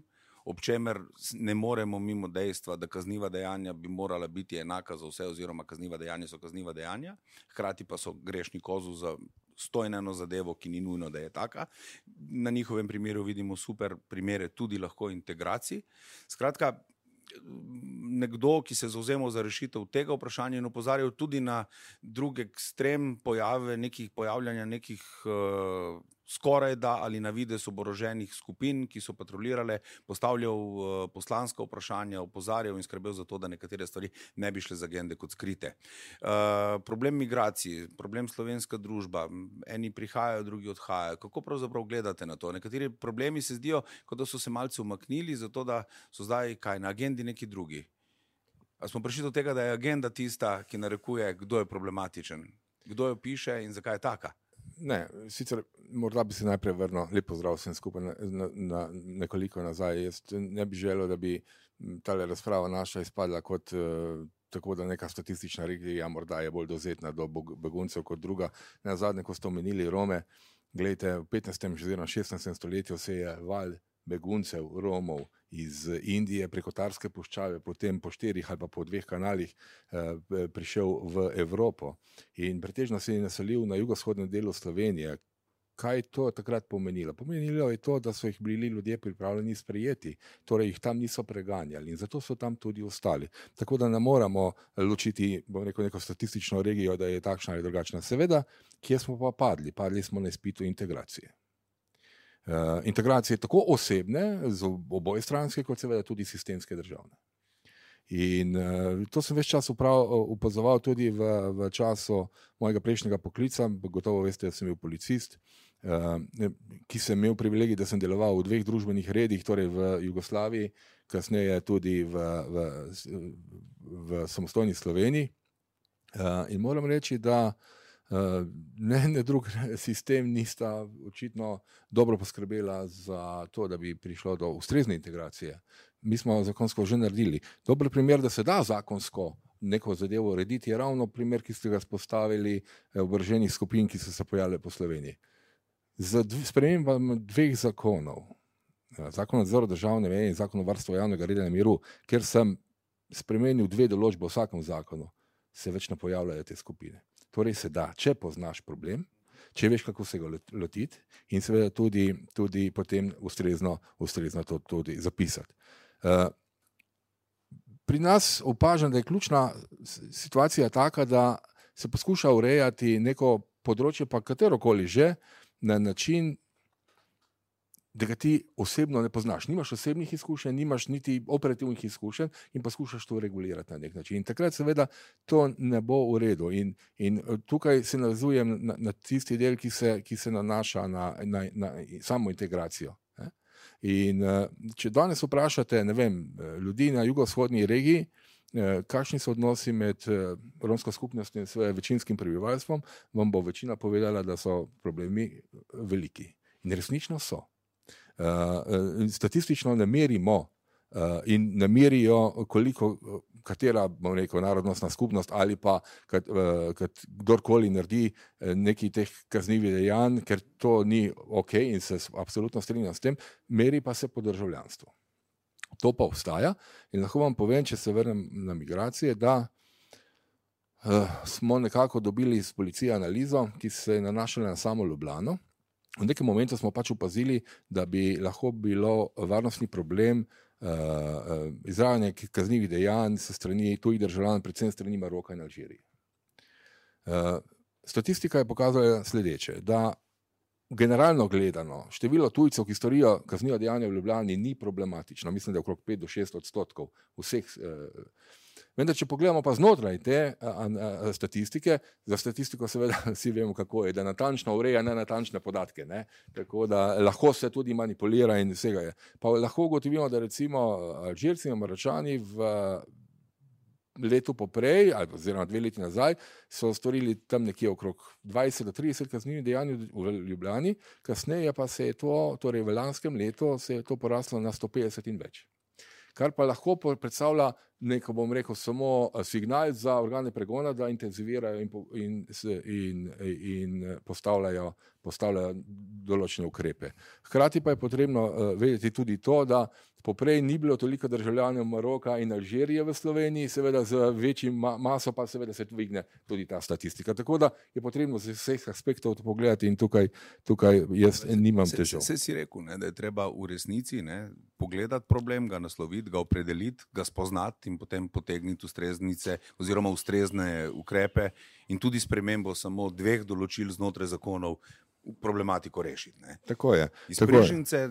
ob čemer ne moremo mimo dejstva, da kazniva dejanja bi morala biti enaka za vse, oziroma kazniva dejanja so kazniva dejanja, hkrati pa so grešni kozu za stojneno zadevo, ki ni nujno, da je taka. Na njihovem primeru vidimo super primere tudi lahko integracij. Skratka, nekdo, ki se zavzemal za rešitev tega vprašanja in opozarjal tudi na drug ekstrem pojave, nekih pojavljanja nekih uh, skoraj da ali na videz oboroženih skupin, ki so patrolirale, postavljal uh, poslanska vprašanja, opozarjal in skrbel za to, da nekatere stvari ne bi šle z agende kot skrite. Uh, problem migracij, problem slovenska družba, eni prihajajo, drugi odhajajo. Kako pravzaprav gledate na to? Nekateri problemi se zdijo, kot da so se malce umaknili, zato da so zdaj kaj na agendi neki drugi. A smo prišli do tega, da je agenda tista, ki narekuje, kdo je problematičen, kdo jo piše in zakaj je taka? Ne, sicer morda bi se najprej vrnil, lep pozdrav vsem skupaj na, na, na nekoliko nazaj. Jaz ne bi želel, da bi tale razprava naša izpadla kot uh, tako, da neka statistična regija morda je bolj dovzetna do beguncev kot druga. Na zadnje, ko ste omenili Rome, gledajte, v petnajstem oziroma šestnajstem stoletju se je val beguncev, Romov iz Indije preko Tarske puščave, potem po štirih ali pa po dveh kanalih eh, prišel v Evropo in pretežno se je naselil na jugovzhodnem delu Slovenije. Kaj je to takrat pomenilo? Pomenilo je to, da so jih bili ljudje pripravljeni sprejeti, torej jih tam niso preganjali in zato so tam tudi ostali. Tako da ne moramo ločiti, bom rekel, neko statistično regijo, da je takšna ali drugačna. Seveda, kje smo pa padli? Padli smo na izpitu integracije. Uh, integracije tako osebne, z oboje stranske, kot seveda tudi sistemske državne. In uh, to sem ves čas upazoval tudi v, v času mojega prejšnjega poklica, gotovo veste, da sem bil policist, uh, ki sem imel privilegij, da sem deloval v dveh družbenih redih, torej v Jugoslaviji, kasneje tudi v, v, v samostojni Sloveniji. Uh, in moram reči, da Uh, ne, ne drug sistem nista očitno dobro poskrbela za to, da bi prišlo do ustrezne integracije. Mi smo zakonsko že naredili. Dober primer, da se da zakonsko neko zadevo urediti, je ravno primer, ki ste ga spostavili oboroženih skupin, ki so se pojavile po Sloveniji. Z spremembami dveh zakonov, zakon o nadzoru državne meje in zakon o varstvu javnega reda in miru, ker sem spremenil dve določbe v vsakem zakonu, se več ne pojavljajo te skupine. Torej se da, če poznaš problem, če veš, kako se ga lotiti in seveda tudi, tudi potem ustrezno, ustrezno to tudi zapisati. Uh, pri nas opažam, da je ključna situacija taka, da se poskuša urejati neko področje, pa katerokoli že, na način, da ga ti osebno ne poznaš. Nimaš osebnih izkušenj, nimaš niti operativnih izkušenj in poskušaš to regulirati na nek način. In takrat seveda to ne bo v redu. In, in tukaj se navezujem na, na tisti del, ki se, ki se nanaša na, na, na samo integracijo. Ne? In če danes vprašate, ne vem, ljudi na jugovzhodni regiji, kakšni so odnosi med romsko skupnostjo in svojim večinskim prebivalstvom, vam bo večina povedala, da so problemi veliki. In resnično so. Uh, statistično ne merimo uh, in ne merijo, koliko, katera, bom rekel, narodnostna skupnost ali pa kat, uh, kat, kdorkoli naredi neki teh kaznivih dejanj, ker to ni ok in se absolutno strinjam s tem, meri pa se po državljanstvu. To pa obstaja in lahko vam povem, če se vrnem na migracije, da uh, smo nekako dobili iz policije analizo, ki se je nanašala na samo Ljubljano. V nekem momentu smo pač opazili, da bi lahko bilo varnostni problem uh, uh, izvajanja kaznivih dejanj se strani tujih državljanov, predvsem strani Maroka in Alžirije. Uh, statistika je pokazala sledeče, da generalno gledano število tujcev, ki storijo kazniva dejanja v Ljubljani, ni problematično. Mislim, da je okrog pet do šest odstotkov vseh. Uh, Vendar, če pogledamo pa znotraj te a, a, statistike, za statistiko seveda vsi vemo, kako je, da natančno ureja nenatančne podatke, ne? Tako da lahko se tudi manipulira in vsega je. Pa lahko ugotovimo, da recimo Alžirci in Maročani v letu poprej, ali oziroma dve leti nazaj, so storili tam nekje okrog dvajset do trideset kaznivih dejanj v Ljubljani, kasneje pa se je to, torej v lanskem letu, se je to poraslo na sto petdeset in več. Kar pa lahko predstavlja neko, bom rekel, samo signal za organe pregona, da intenzivirajo in, in, in, in postavljajo, postavljajo določene ukrepe. Hkrati pa je potrebno uh, vedeti tudi to, da poprej ni bilo toliko državljanov Maroka in Alžirije v Sloveniji, seveda z večjim ma maso pa seveda se dvigne tudi ta statistika. Tako da je potrebno z vseh aspektov to pogledati in tukaj, tukaj jaz nimam težav. Se, se si rekel, ne, da je treba v resnici ne, pogledati problem, ga nasloviti, ga opredeliti, ga spoznati in potem potegniti ustreznice oziroma ustrezne ukrepe in tudi spremembo samo dveh določil znotraj zakonov problematiko rešiti. Ne. Tako je. Iz Prežnice,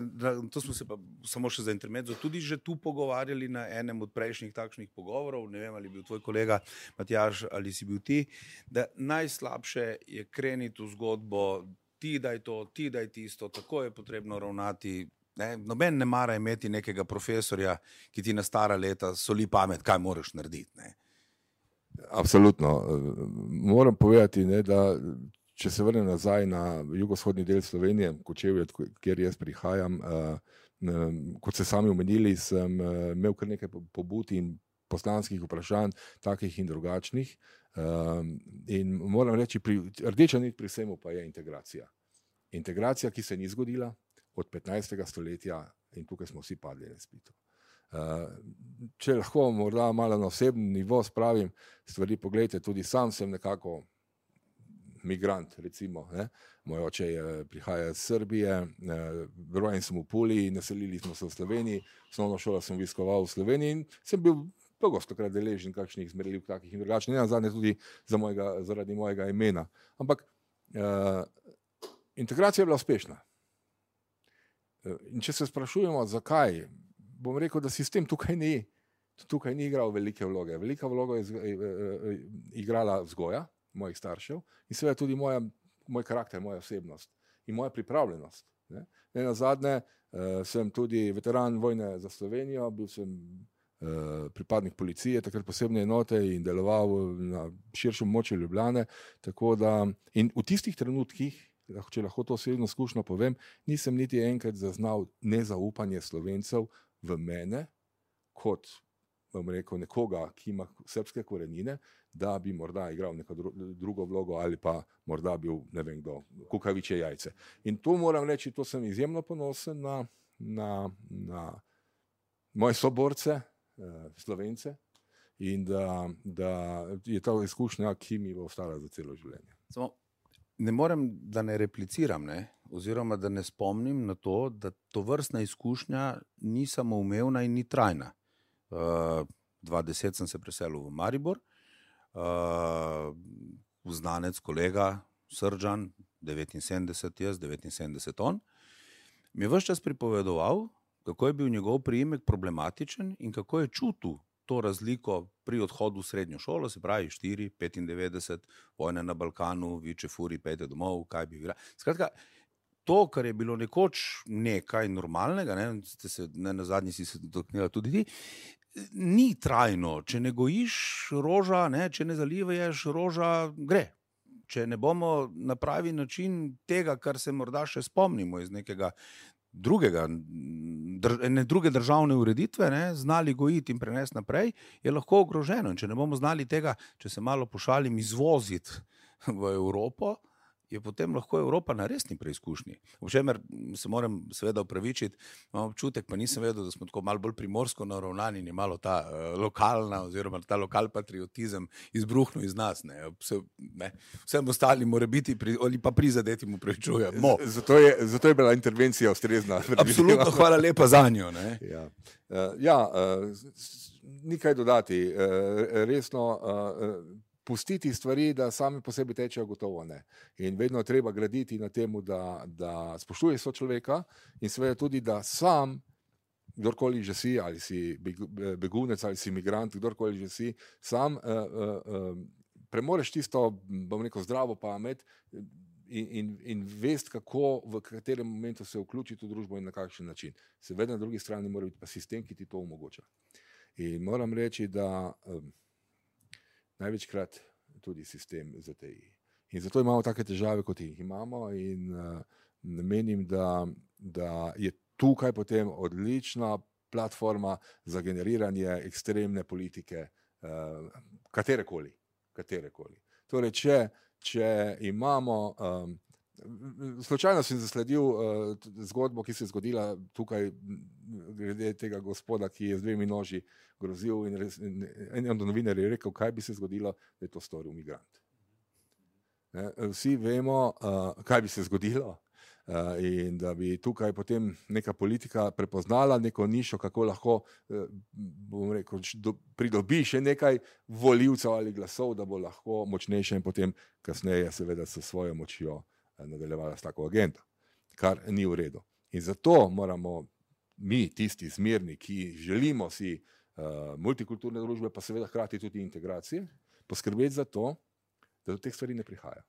to smo se pa samo še za intermezzo tudi že tu pogovarjali na enem od prejšnjih takšnih pogovorov, ne vem, ali bil tvoj kolega Matjaž ali si bil ti, da najslabše je kreniti v zgodbo, ti daj to, ti daj tisto, tako je potrebno ravnati. Ne, noben ne mara imeti nekega profesorja, ki ti na stara leta soli pamet, kaj moraš narediti. Ne. Absolutno. Moram povedati, ne, da če se vrnem nazaj na jugovzhodni del Slovenije, Kočevje, kjer jaz prihajam, kot ste sami omenili, sem imel kar nekaj pobud in poslanskih vprašanj, takih in drugačnih. In moram reči, pri, rdeča nit pri vsemu pa je integracija. Integracija, ki se ni zgodila od petnajstega stoletja in tukaj smo vsi padli na izpitu. Če lahko morda malo na osebni nivo spravim stvari, poglejte, tudi sam sem nekako migrant, recimo, ne. Moj oče je, prihaja iz Srbije, rojen sem v Puli, naselili smo se v Sloveniji, osnovno šolo sem obiskoval v Sloveniji in sem bil pogostokrat deležen kakšnih zmerljivk takih in drugačnih, ne nazadnje tudi za mojega, zaradi mojega imena. Ampak uh, integracija je bila uspešna. In če se sprašujemo, zakaj, bom rekel, da sistem tukaj ni, tukaj ni igral velike vloge. Velika vloga je igrala vzgoja mojih staršev in seveda tudi moja, moj karakter, moja osebnost in moja pripravljenost. Ne, ne nazadnje uh, sem tudi veteran vojne za Slovenijo, bil sem uh, pripadnik policije, takrat posebne enote in deloval na širšem območju Ljubljane, tako da in v tistih trenutkih, če lahko to osebno izkušnjo povem, nisem niti enkrat zaznal nezaupanje Slovencev v mene, kot, bom rekel, nekoga, ki ima srbske korenine, da bi morda igral neko drugo vlogo ali pa morda bil, ne vem kdo, kukavičje jajce. In to moram reči, to sem izjemno ponosen na, na, na moje soborce, eh, Slovence, in da, da je to izkušnja, ki mi bo ostala za celo življenje. Samo ne morem, da ne repliciram, ne? Oziroma da ne spomnim na to, da to vrstna izkušnja ni samoumevna in ni trajna. Uh, dva deset sem se preselil v Maribor, uh, znanec, kolega, Srdžan, devetinsedemdeset jaz, devetinsedemdeset on, mi je ves čas pripovedoval, kako je bil njegov priimek problematičen in kako je čutil to razliko pri odhodu v srednjo šolo, se pravi štiri, petindevetdeset, vojne na Balkanu, viče furi, pejte domov, kaj bi igra. Skratka, to, kar je bilo nekoč nekaj normalnega, ne, ste se, ne, na zadnji si se dotaknila tudi ti, ni trajno. Če ne gojiš roža, ne, če ne zalivaješ roža, gre. Če ne bomo na pravi način tega, kar se morda še spomnimo iz nekega drugega, drž, ne druge državne ureditve, ne, znali gojiti in prenesti naprej, je lahko ogroženo. In če ne bomo znali tega, če se malo pošalim, izvoziti v Evropo, je potem lahko Evropa na resni preizkušnji. V čemer se moram seveda opravičiti, imam občutek, pa nisem vedel, da smo tako malo bolj primorsko naravnani in je malo ta uh, lokalna oziroma ta lokal patriotizem izbruhnil iz nas. Ne. Vse, ne. Vsem ostalim mora biti pri, ali pa prizadetim upravičujemo. Zato je, zato je bila intervencija ustrezna. Absolutno, hvala lepa za njo. Ne. Ja, uh, ja uh, nikaj dodati. Uh, resno, uh, pustiti stvari, da sami po sebi tečejo, gotovo ne. In vedno treba graditi na temu, da, da spoštuje sočloveka in seveda tudi, da sam, kdorkoli že si, ali si begunec, ali si migrant, kdorkoli že si, sam uh, uh, uh, premoreš tisto, bom rekel, zdravo pamet in, in, in vest, kako, v katerem momentu se vključiti v družbo in na kakšen način. Seveda na drugi strani mora biti pa sistem, ki ti to omogoča. In moram reči, da um, največkrat tudi sistem Z T I. In zato imamo take težave, kot jih imamo in uh, menim, da, da je tukaj potem odlična platforma za generiranje ekstremne politike, uh, katerekoli, katerekoli. Torej, če, če imamo, um, slučajno sem zasledil uh, zgodbo, ki se je zgodila tukaj glede tega gospoda, ki je z dvemi noži grozil in, res, in en od novinarjev je rekel, kaj bi se zgodilo, da je to storil migrant. Ne, vsi vemo, uh, kaj bi se zgodilo uh, in da bi tukaj potem neka politika prepoznala neko nišo, kako lahko uh, bom rekel, do, pridobi še nekaj volivcev ali glasov, da bo lahko močnejše in potem kasneje seveda s svojo močjo nadaljevala s tako agendo, kar ni v redu. In zato moramo mi, tisti zmerni, ki želimo si uh, multikulturne družbe, pa seveda hkrati tudi integracije, poskrbeti za to, da do teh stvari ne prihaja.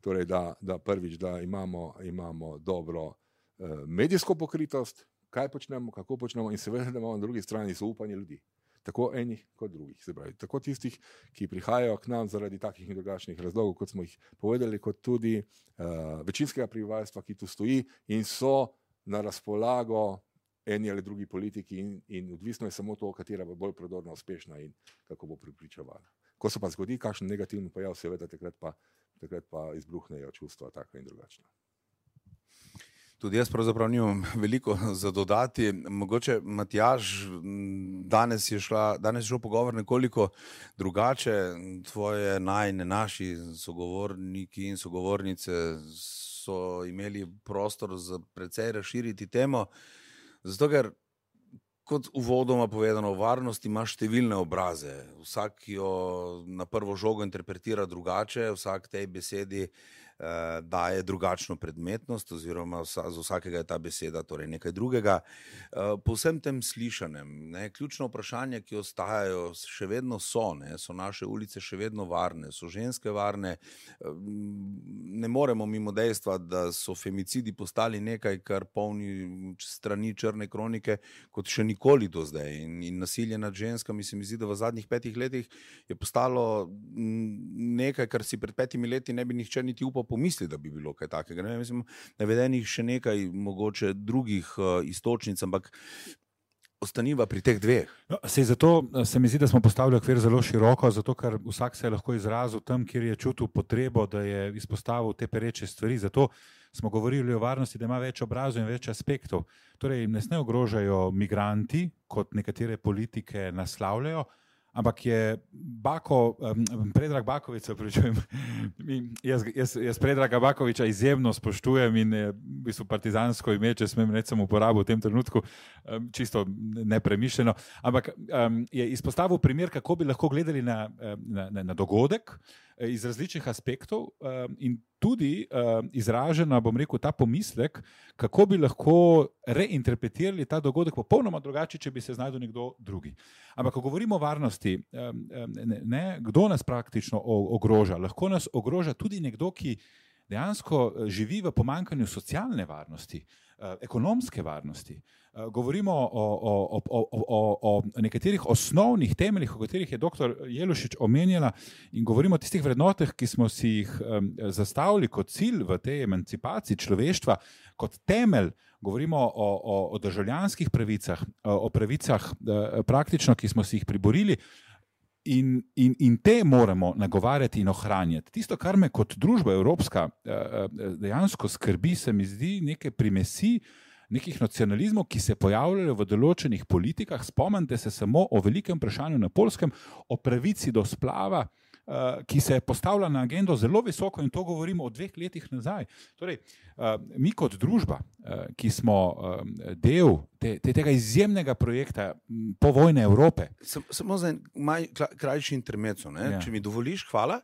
Torej, da, da prvič, da imamo, imamo dobro uh, medijsko pokritost, kaj počnemo, kako počnemo in seveda, da imamo na drugi strani zaupanje ljudi. Tako enih kot drugih, se pravi, tako tistih, ki prihajajo k nam zaradi takih in drugačnih razlogov, kot smo jih povedali, kot tudi uh, večinskega prebivalstva, ki tu stoji in so na razpolago eni ali drugi politiki in, in odvisno je samo to, katera bo bolj prodorno uspešna in kako bo pripričevala. Ko se pa zgodi kakšen negativni pojav, seveda takrat pa, takrat pa izbruhnejo čustva taka in drugačna. Tudi jaz pravzaprav nimam veliko za dodati. Mogoče, Matjaž, danes je, šla, danes je šel pogovor nekoliko drugače. Tvoje najne, naši sogovorniki in sogovornice so imeli prostor za precej razširiti temo, zato ker, kot uvodoma povedano, varnost ima številne obraze. Vsak jo na prvo žogo interpretira drugače, vsak tej besedi eh, daje drugačno predmetnost oziroma vsa, z vsakega je ta beseda torej nekaj drugega. Eh, po vsem tem slišanem, ne, ključno vprašanje, ki ostajajo, še vedno so, ne, so naše ulice še vedno varne, so ženske varne. Eh, ne moremo mimo dejstva, da so femicidi postali nekaj, kar polni strani črne kronike, kot še nikoli do zdaj. In, in nasilje nad ženskami se mi zdi, da v zadnjih petih letih je postalo nekaj, kar si pred petimi leti ne bi nihče niti upal pomisli, da bi bilo kaj takega. Ne, mislim, navedenih še nekaj mogoče drugih uh, istočnic, ampak ostaniva pri teh dveh. No, sej zato se mi zdi, da smo postavili okvir zelo široko, zato ker vsak se je lahko izrazil tam, kjer je čutil potrebo, da je izpostavil te pereče stvari. Zato smo govorili o varnosti, da ima več obrazov in več aspektov. Torej, ne sme ogrožajo migranti, kot nekatere politike naslavljajo, ampak je Bako, um, Predrag Baković, pričujem, jaz, jaz, jaz Predraga Bakovića izjemno spoštujem in je v bistvu partizansko ime, če smem reči, sem uporabil v tem trenutku, um, čisto nepremišljeno, ampak um, je izpostavil primer, kako bi lahko gledali na, na, na, na dogodek iz različnih aspektov um, in tudi uh, izražena, bom rekel, ta pomislek, kako bi lahko reinterpretirali ta dogodek popolnoma drugače, če bi se znašel nekdo drugi. Ampak, ko govorimo o varnosti, um, ne, ne, kdo nas praktično ogroža? Lahko nas ogroža tudi nekdo, ki dejansko živi v pomanjkanju socialne varnosti, uh, ekonomske varnosti. Uh, govorimo o, o, o, o, o, o nekaterih osnovnih temeljih, o katerih je doktor Jelušič omenjala, in govorimo o tistih vrednotah, ki smo si jih um, zastavili kot cilj v tej emancipaciji človeštva, kot temelj. Govorimo o, o, o državljanskih pravicah, o pravicah uh, praktično, ki smo si jih priborili. In, in, in te moramo nagovarjati in ohranjati. Tisto, kar me kot družba evropska dejansko skrbi, se mi zdi neke primesi nekih nacionalizmov, ki se pojavljajo v določenih politikah. Spomnite se samo o velikem vprašanju na Poljskem, o pravici do splava, ki se je postavila na agendo zelo visoko, in to govorimo o dveh letih nazaj. Torej, mi kot družba, ki smo del te, te, tega izjemnega projekta povojne Evrope. Samo za en maj, krajši intermezzo, ne? Ja. Če mi dovoliš, hvala.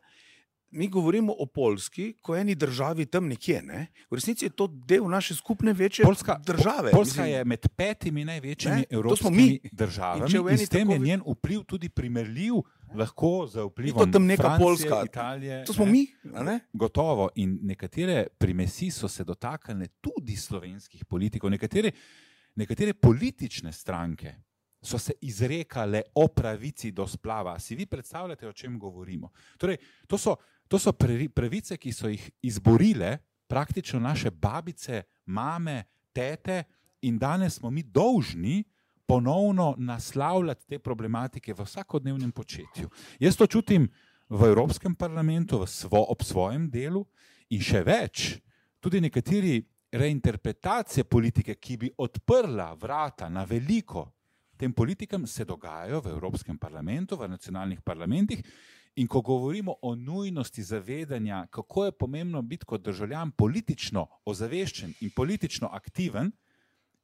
Mi govorimo o Poljski, ko eni državi tam nekje, ne? V resnici je to del naše skupne večje Poljska, države. Poljska Mislim, je med petimi največjimi ne, evropskimi državami in, in in s tem tako... je njen vpliv tudi primerljiv lahko z vplivom to tam neka Francije, Poljska. Italije. To smo ne? mi, a ne? Gotovo. In nekatere primesi so se dotaknile tudi slovenskih politikov. Nekatere, nekatere politične stranke so se izrekale o pravici do splava. Si vi predstavljate, o čem govorimo? Torej, to so To so pravice, ki so jih izborile praktično naše babice, mame, tete, in danes smo mi dolžni ponovno naslavljati te problematike v vsakodnevnem početju. Jaz to čutim v Evropskem parlamentu, v svo, ob svojem delu, in še več, tudi nekateri reinterpretacije politike, ki bi odprla vrata na veliko tem politikam, se dogajajo v Evropskem parlamentu, v nacionalnih parlamentih. In ko govorimo o nujnosti zavedanja, kako je pomembno biti kot državljan politično ozaveščen in politično aktiven,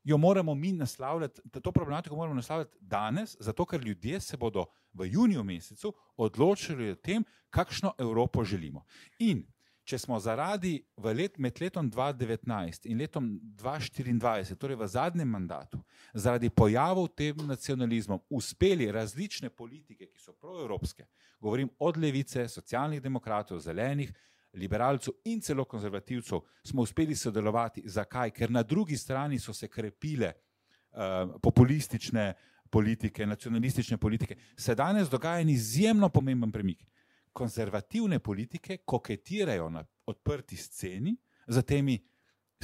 jo moramo mi naslavljati, to problematiko moramo naslavljati danes, zato ker ljudje se bodo v juniju mesecu odločili o tem, kakšno Evropo želimo. In če smo zaradi v let, med letom dva tisoč devetnajst in letom dva tisoč štiriindvajset, torej v zadnjem mandatu, zaradi pojavov tem nacionalizmom uspeli različne politike, ki so proevropske, govorim od levice, socialnih demokratov, zelenih, liberalcev in celo konzervativcev, smo uspeli sodelovati. Zakaj? Ker na drugi strani so se krepile uh, populistične politike, nacionalistične politike. Se danes dogaja en izjemno pomemben premik. Konzervativne politike koketirajo na odprti sceni za temi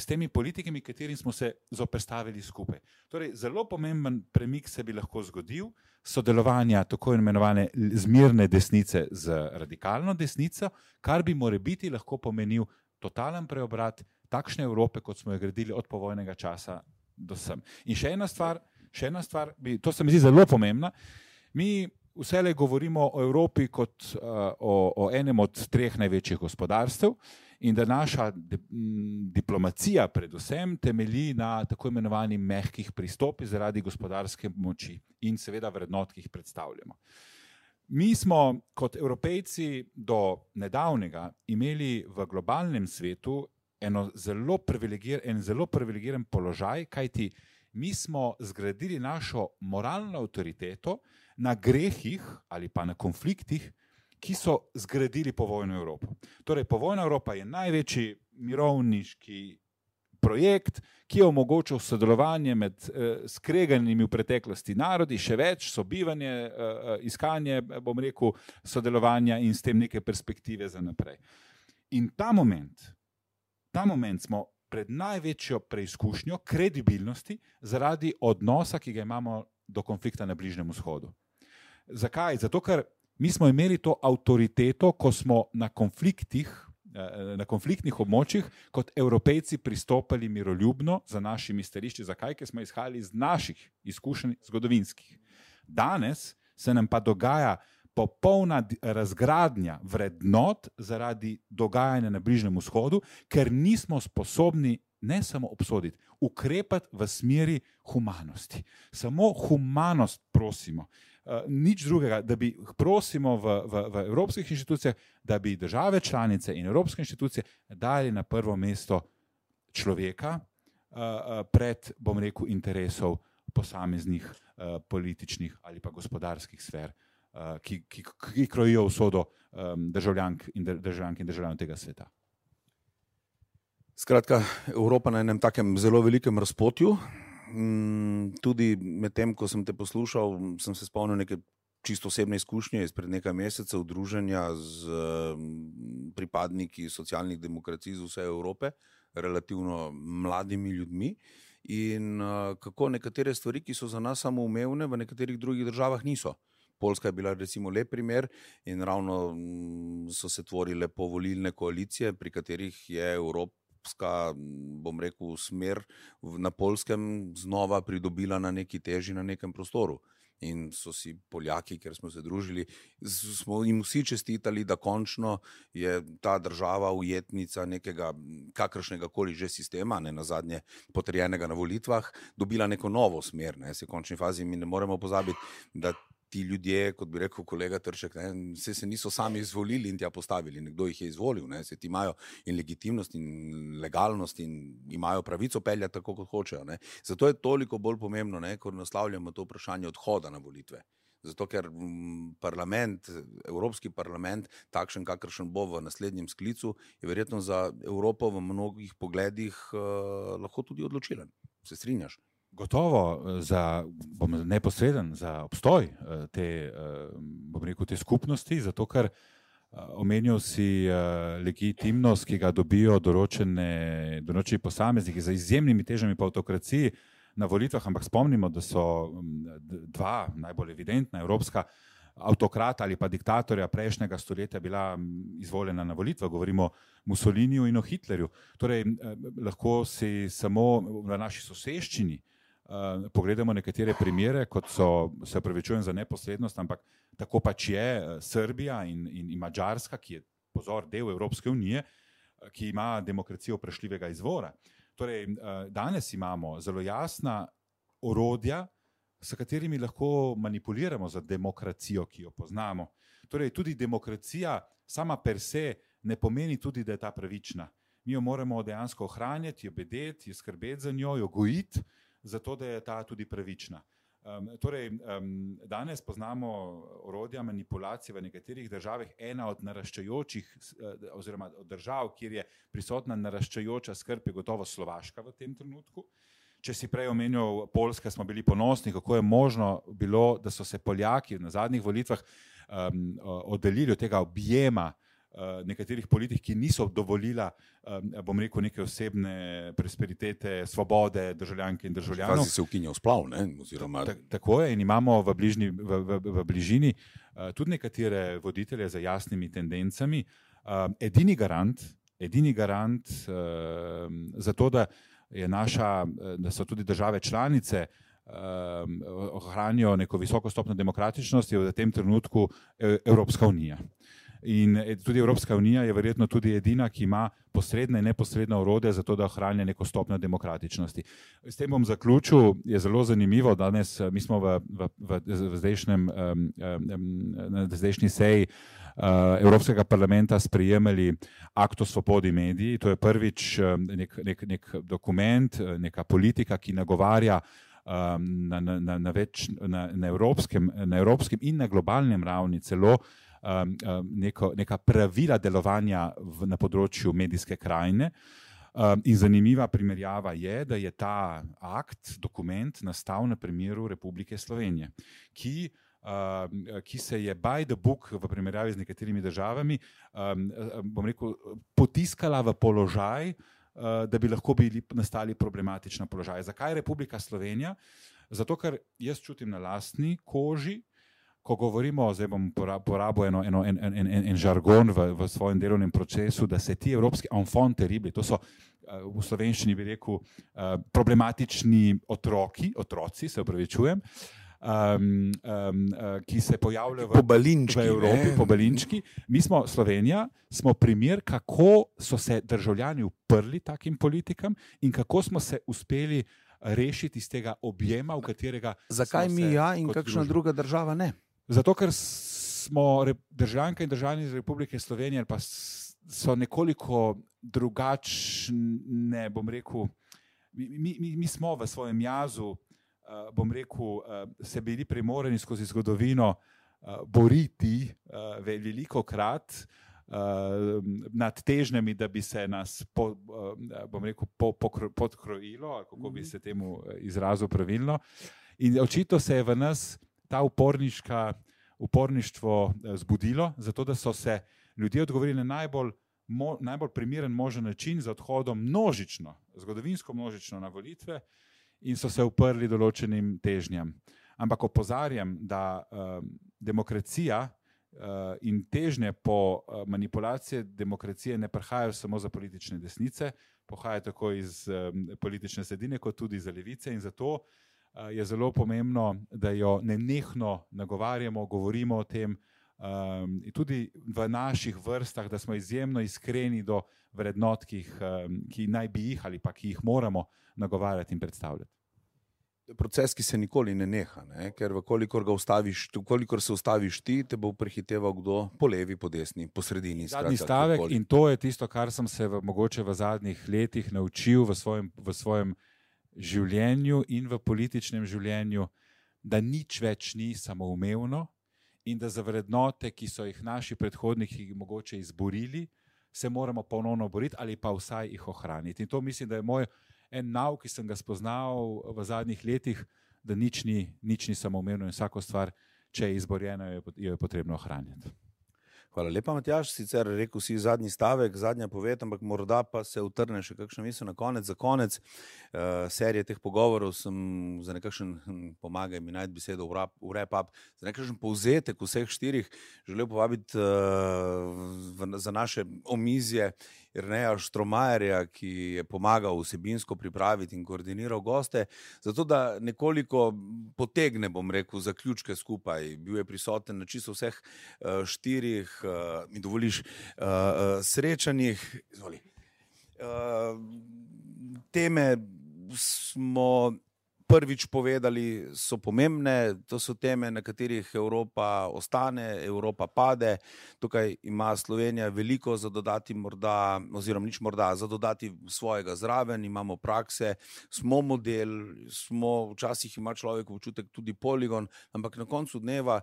s temi politikami, katerim smo se zoperstavili skupaj. Torej, zelo pomemben premik se bi lahko zgodil, sodelovanja tako imenovane zmirne desnice z radikalno desnico, kar bi morebiti lahko pomenil totalen preobrat takšne Evrope, kot smo jo gradili od povojnega časa do sem. In še ena stvar, še ena stvar bi, to se mi zdi zelo pomembna, mi vselej govorimo o Evropi kot uh, o, o enem od treh največjih gospodarstev in da naša di, m, diplomacija predvsem temelji na tako imenovanih mehkih pristopih zaradi gospodarske moči in seveda vrednot, ki jih predstavljamo. Mi smo kot Evropejci do nedavnega imeli v globalnem svetu eno zelo privilegir, en zelo privilegiran položaj, kajti mi smo zgradili našo moralno avtoriteto na grehih ali pa na konfliktih, ki so zgradili povojno Evropo. Torej, povojna Evropa je največji mirovniški projekt, ki je omogočil sodelovanje med eh, skreganimi v preteklosti narodi, še več, sobivanje, eh, iskanje, bom rekel, sodelovanja in s tem neke perspektive za naprej. In ta moment, ta moment smo pred največjo preizkušnjo kredibilnosti zaradi odnosa, ki ga imamo do konflikta na Bližnjem vzhodu. Zakaj? Zato, ker mi smo imeli to avtoriteto, ko smo na konfliktih, na konfliktnih območjih kot Evropejci pristopali miroljubno za našimi stališči. Zakaj? Ker smo izhajali iz naših izkušenj zgodovinskih. Danes se nam pa dogaja popolna razgradnja vrednot zaradi dogajanja na Bližnjem vzhodu, ker nismo sposobni ne samo obsoditi, ukrepati v smeri humanosti. Samo humanost prosimo. Uh, nič drugega, da bi prosimo v, v, v evropskih inštitucijah, da bi države članice in evropske inštitucije dali na prvo mesto človeka uh, uh, pred, bom rekel, interesov posameznih uh, političnih ali pa gospodarskih sfer, uh, ki, ki, ki krojijo usodo um, državljank in, državljank in državljanov tega sveta. Skratka, Evropa na enem takem zelo velikem razpotju. Tudi med tem, ko sem te poslušal, sem se spomnil neke čisto osebne izkušnje izpred nekaj mesecev druženja z pripadniki socialnih demokracij z vse Evrope, relativno mladimi ljudmi in kako nekatere stvari, ki so za nas samoumevne, v nekaterih drugih državah niso. Poljska je bila recimo lep primer in ravno so se tvorile povolilne koalicije, pri katerih je Evropa bom rekel, smer na Poljskem znova pridobila na neki teži na nekem prostoru. In so si Poljaki, ker smo se družili, smo jim vsi čestitali, da končno je ta država ujetnica nekega kakršnega koli že sistema, ne nazadnje potrjenega na volitvah, dobila neko novo smer. Ne. Se v končni fazi mi ne moremo pozabiti, da ti ljudje, kot bi rekel kolega Tršek, ne, se, se niso sami izvolili in tja postavili, nekdo jih je izvolil, ne, se ti imajo in legitimnost in legalnost in imajo pravico peljati tako, kot hočejo. Ne. Zato je toliko bolj pomembno, ne, ko naslavljamo to vprašanje odhoda na volitve. Zato, ker parlament, Evropski parlament, takšen, kakršen bo v naslednjem sklicu, je verjetno za Evropo v mnogih pogledih uh, lahko tudi odločilen. Se strinjaš? Gotovo za, bom neposreden, za obstoj te, bom rekel, te skupnosti, zato ker omenil si legitimnost, ki ga dobijo določene, določeni posamezniki za izjemnimi težami po avtokraciji na volitvah, ampak spomnimo, da so dva najbolj evidentna evropska avtokrata ali pa diktatorja prejšnjega stoletja bila izvoljena na volitvah, govorimo o Mussoliniju in o Hitlerju. Torej, lahko si samo v naši soseščini Uh, pogledamo nekatere primere, kot so, se opravičujem za neposrednost, ampak tako pač je Srbija in, in, in Madžarska, ki je, pozor, del Evropske unije, ki ima demokracijo vprašljivega izvora. Torej, uh, danes imamo zelo jasna orodja, s katerimi lahko manipuliramo za demokracijo, ki jo poznamo. Torej, tudi demokracija sama per se ne pomeni tudi, da je ta pravična. Mi jo moramo dejansko ohranjati, jo bedeti, jo skrbeti za njo, jo gojiti, zato da je ta tudi pravična. Um, torej, um, danes poznamo orodja manipulacije v nekaterih državah, ena od naraščajočih oziroma od držav, kjer je prisotna naraščajoča skrb, je gotovo Slovaška v tem trenutku. Če si prej omenil Poljska, smo bili ponosni, kako je možno bilo, da so se Poljaki na zadnjih volitvah um, oddaljili od tega objema nekaterih politik, ki niso dovolila, bom rekel, neke osebne prosperitete, svobode državljanke in državljanov. Kvazi se ukinja splav, ne? Oziroma... Ta, tako je in imamo v, bližnji, v, v, v bližini tudi nekatere voditelje z jasnimi tendencami. Edini garant, edini garant za to, da, je naša, da so tudi države članice ohranijo neko visoko stopnjo demokratičnosti, je v tem trenutku Evropska unija. In tudi Evropska unija je verjetno tudi edina, ki ima posredne in neposredne orodje za to, da ohranja neko stopnjo demokratičnosti. S tem bom zaključil, je zelo zanimivo, danes mi smo v, v, v, v zdajšnjem, na zdajšnji seji Evropskega parlamenta sprejemali akt o svobodi mediji. To je prvič nek, nek, nek dokument, neka politika, ki nagovarja na, na, na, na, več, na, na, evropskem, na evropskem in na globalnem ravni celo Um, um, neko, neka pravila delovanja v, na področju medijske krajine. Um, in zanimiva primerjava je, da je ta akt, dokument nastal na primeru Republike Slovenije, ki, um, ki se je by the book v primerjavi z nekaterimi državami, um, bom rekel, potiskala v položaj, uh, da bi lahko bili nastali problematična položaja. Zakaj Republika Slovenija? Zato, ker jaz čutim na lastni koži, ko govorimo, zdaj bom porabil eno, eno, en, en, en, en žargon v, v svojem delovnem procesu, da se ti evropski enfant terrible, to so v slovenščini bi rekel problematični otroki, otroci, se opravičujem, um, um, ki se pojavljajo v, v Evropi, pobalinčki. Mi smo, Slovenija, smo primer, kako so se državljani uprli takim politikam in kako smo se uspeli rešiti iz tega objema, v katerega... Zakaj mi ja in kakšna druga država ne? Zato, ker smo državljanke in državljani iz Republike Slovenije pa so nekoliko drugačne, bom rekel, mi, mi, mi smo v svojem jazu, bom rekel, se bili primorani skozi zgodovino boriti veliko krat nad težnjami, da bi se nas, po, bom rekel, po, pokro, podkrojilo, kako bi se temu izrazil pravilno. In očitno se je v nas ta uporniška, uporništvo zbudilo, zato da so se ljudje odgovorili na najbolj, mo, najbolj primeren možen način z odhodom množično, zgodovinsko množično na volitve in so se uprli določenim težnjam. Ampak opozarjam, da um, demokracija uh, in težnje po uh, manipulacije demokracije ne prihajajo samo za politične desnice, pohajajo tako iz um, politične sredine, kot tudi za levice in zato je zelo pomembno, da jo nenehno nagovarjamo, govorimo o tem um, in tudi v naših vrstah, da smo izjemno iskreni do vrednot, ki, jih, um, ki naj bi jih ali pa ki jih moramo nagovarjati in predstavljati. Proces, ki se nikoli ne neha, ne? Ker vkolikor ga ustaviš, vkolikor se ustaviš ti, te bo prehiteval kdo po levi, po desni, po sredini. Zadnji stavek kakoli. In to je tisto, kar sem se v, mogoče v zadnjih letih naučil v svojem, v svojem življenju in v političnem življenju, da nič več ni samoumevno in da za vrednote, ki so jih naši predhodniki mogoče izborili, se moramo ponovno boriti ali pa vsaj jih ohraniti. In to mislim, da je moj en nauk, ki sem ga spoznal v zadnjih letih, da nič ni, nič ni samoumevno in vsako stvar, če je izborjena, jo je potrebno ohranjati. Hvala lepa, Matjaž. Sicer rekel si zadnji stavek, zadnja poved, ampak morda pa se utrne še kakšna misel na konec. Za konec uh, serije teh pogovorov sem za nekakšen, hm, pomagaj mi najti besedo v wrap-up, za nekakšen povzetek vseh štirih želel povabiti uh, v, za naše omizje Jerneja Štromajerja, ki je pomagal vsebinsko pripraviti in koordiniral goste, zato da nekoliko potegne, bom rekel, zaključke skupaj. Bil je prisoten na čisto vseh uh, štirih, uh, mi dovoliš, uh, uh, srečanjih. Izvoli. Uh, teme smo prvič povedali, so pomembne, to so teme, na katerih Evropa ostane, Evropa pade. Tukaj ima Slovenija veliko za dodati morda, oziroma nič morda, za dodati svojega zraven, imamo prakse, smo model, smo, včasih ima človek občutek tudi poligon, ampak na koncu dneva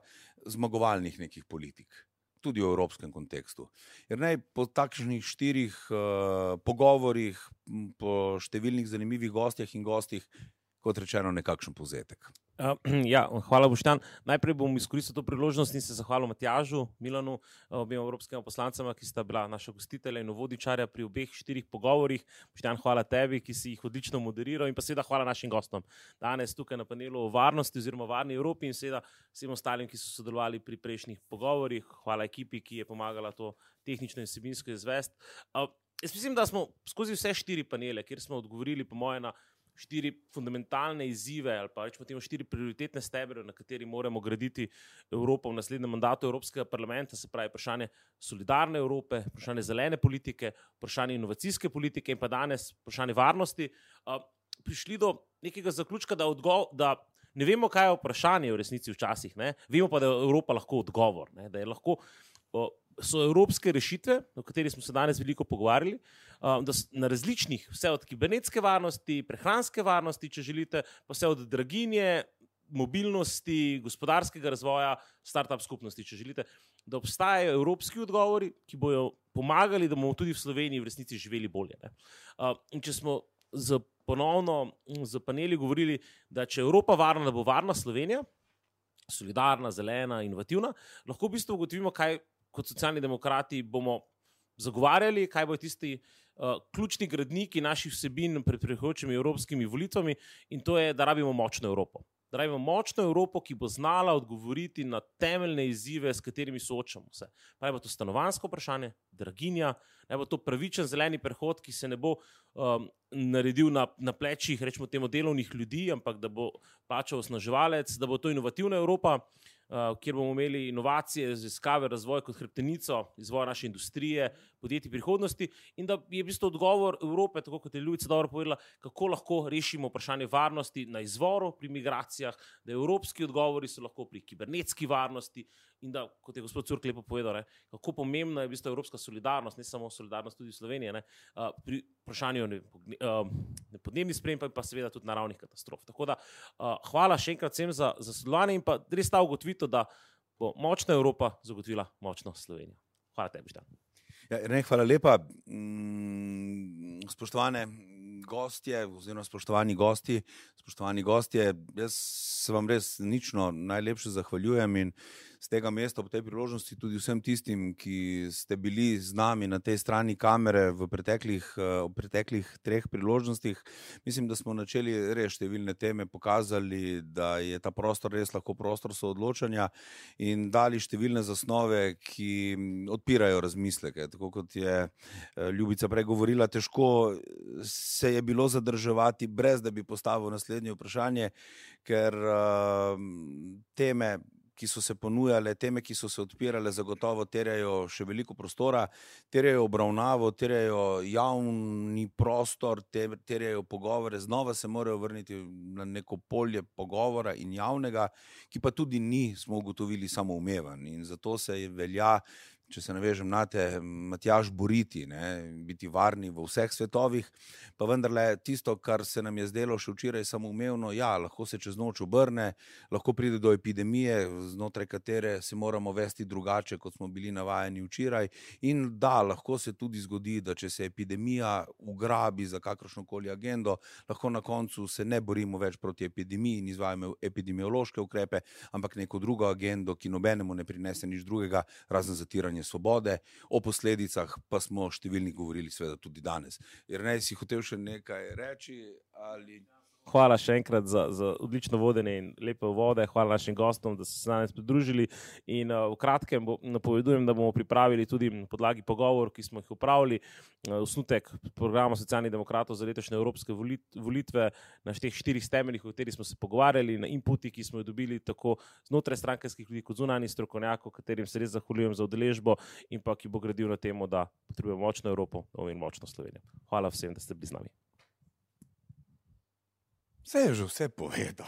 zmagovalnih nekih politik, tudi v evropskem kontekstu. Jernej, po takšnih štirih uh, pogovorih, po številnih zanimivih gostjah in gostih, kot rečeno, nekakšen povzetek. Uh, ja, hvala, Boštjan. Najprej bom izkoristil to priložnost in se zahvalil Matjažu, Milanu, obema evropskima poslancama, ki sta bila naša gostitelja in uvodničarja pri obeh štirih pogovorih. Boštjan, hvala tebi, ki si jih odlično moderiral, in pa seveda hvala našim gostom. Danes tukaj na panelu o varnosti oziroma varni Evropi in seveda vsem ostalim, ki so sodelovali pri prejšnjih pogovorih. Hvala ekipi, ki je pomagala to tehnično in vsebinsko izvesti. Uh, jaz mislim, da smo skozi vse štiri panele, kjer smo odgovorili po moje na štiri fundamentalne izzive ali pa rečemo temu štiri prioritetne stebre, na kateri moramo graditi Evropo v naslednjem mandatu Evropskega parlamenta, se pravi vprašanje solidarne Evrope, vprašanje zelene politike, vprašanje inovacijske politike in pa danes vprašanje varnosti, uh, prišli do nekega zaključka, da, odgo- da ne vemo, kaj je vprašanje v resnici včasih, ne? Vemo pa, da je Evropa lahko odgovor, ne? Da je lahko uh, so evropske rešitve, o kateri smo se danes veliko pogovarjali, da na različnih, vse od kibernetske varnosti, prehranske varnosti, če želite, pa vse od draginje, mobilnosti, gospodarskega razvoja, start-up skupnosti, če želite, da obstajajo evropski odgovori, ki bojo pomagali, da bomo tudi v Sloveniji v resnici živeli bolje. Ne? In če smo z ponovno z paneli govorili, da če Evropa varna, da bo varna Slovenija, solidarna, zelena, inovativna, lahko v bistvu ugotovimo, kaj kot socialni demokrati bomo zagovarjali, kaj bojo tisti uh, ključni gradniki naših vsebin pred prihajajočimi evropskimi volitvami, in to je, da rabimo močno Evropo. Da rabimo močno Evropo, ki bo znala odgovoriti na temeljne izzive, s katerimi soočamo se. Pa je to stanovanjsko vprašanje, draginja, ne bo to pravičen zeleni prehod, ki se ne bo um, naredil na, na plečih, rečemo temu, delovnih ljudi, ampak da bo plačal osnaževalec, da bo to inovativna Evropa, Uh, kjer bomo imeli inovacije, raziskave, razvoj kot hrbtenico izvoja naše industrije, podjetij prihodnosti, in da je v bistvu odgovor Evrope, tako kot je Ljubica dobro povedala, kako lahko rešimo vprašanje varnosti na izvoru pri migracijah, da evropski odgovori so lahko pri kibernetski varnosti in da, kot je gospod Curk lepo povedal, ne, kako pomembna je v bistvu evropska solidarnost, ne samo solidarnost tudi v Sloveniji, ne, uh, pri vprašanju ne, uh, podnebnih sprememb, pa seveda tudi naravnih katastrof. Tako da uh, hvala še enkrat vsem za, za sodelovanje in pa res ta ugotovitev, da bo močna Evropa zagotovila močno Slovenijo. Hvala tebi, Boštjan. Ja, ne, hvala lepa. Mm, spoštovane gostje, oziroma spoštovani gosti, spoštovani gostje, jaz se vam res nično najlepše zahvaljujem in z tega mesta ob tej priložnosti tudi vsem tistim, ki ste bili z nami na tej strani kamere v preteklih, v preteklih treh priložnostih. Mislim, da smo načeli res številne teme pokazali, da je ta prostor res lahko prostor soodločanja in dali številne zasnove, ki odpirajo razmisleke. Tako kot je Ljubica prej govorila, težko se je bilo zadrževati, brez da bi postavil naslednje vprašanje, ker uh, teme, ki so se ponujale, teme, ki so se odpirale, zagotovo terjajo še veliko prostora, terjajo obravnavo, terjajo javni prostor, terjajo pogovore, znova se morajo vrniti na neko polje pogovora in javnega, ki pa tudi ni, smo ugotovili, samoumeven. In zato se velja, če se navežem nate, Matjaž, boriti, ne, biti varni v vseh svetovih, pa vendarle tisto, kar se nam je zdelo še včeraj samoumevno, ja, lahko se čez noč obrne, lahko pride do epidemije, znotraj katere se moramo vesti drugače, kot smo bili navajeni včeraj, in da, lahko se tudi zgodi, da če se epidemija ugrabi za kakršnokoli agendo, lahko na koncu se ne borimo več proti epidemiji in izvajamo epidemiološke ukrepe, ampak neko drugo agendo, ki nobenemu ne prinese nič drugega, razen zatiranja svobode. O posledicah pa smo številni govorili seveda tudi danes. Jernej, si hotel še nekaj reči ali... Hvala še enkrat za, za odlično vodenje in lepe vode. Hvala našim gostom, da so se danes pridružili. In uh, v kratkem bo, napovedujem, da bomo pripravili tudi na podlagi pogovor, ki smo jih upravili, uh, osnutek programa Socialnih demokratov za letošnje evropske volitve na teh štirih temeljih, o katerih smo se pogovarjali, na inputi, ki smo jo dobili tako znotraj strankarskih ljudi kot zunanjih strokovnjakov, katerim se res zahvaljujem za udeležbo in pa ki bo gradil na temo, da potrebujemo močno Evropo in močno Slovenijo. Hvala vsem, da ste bili z nami. Vse je že vse povedal.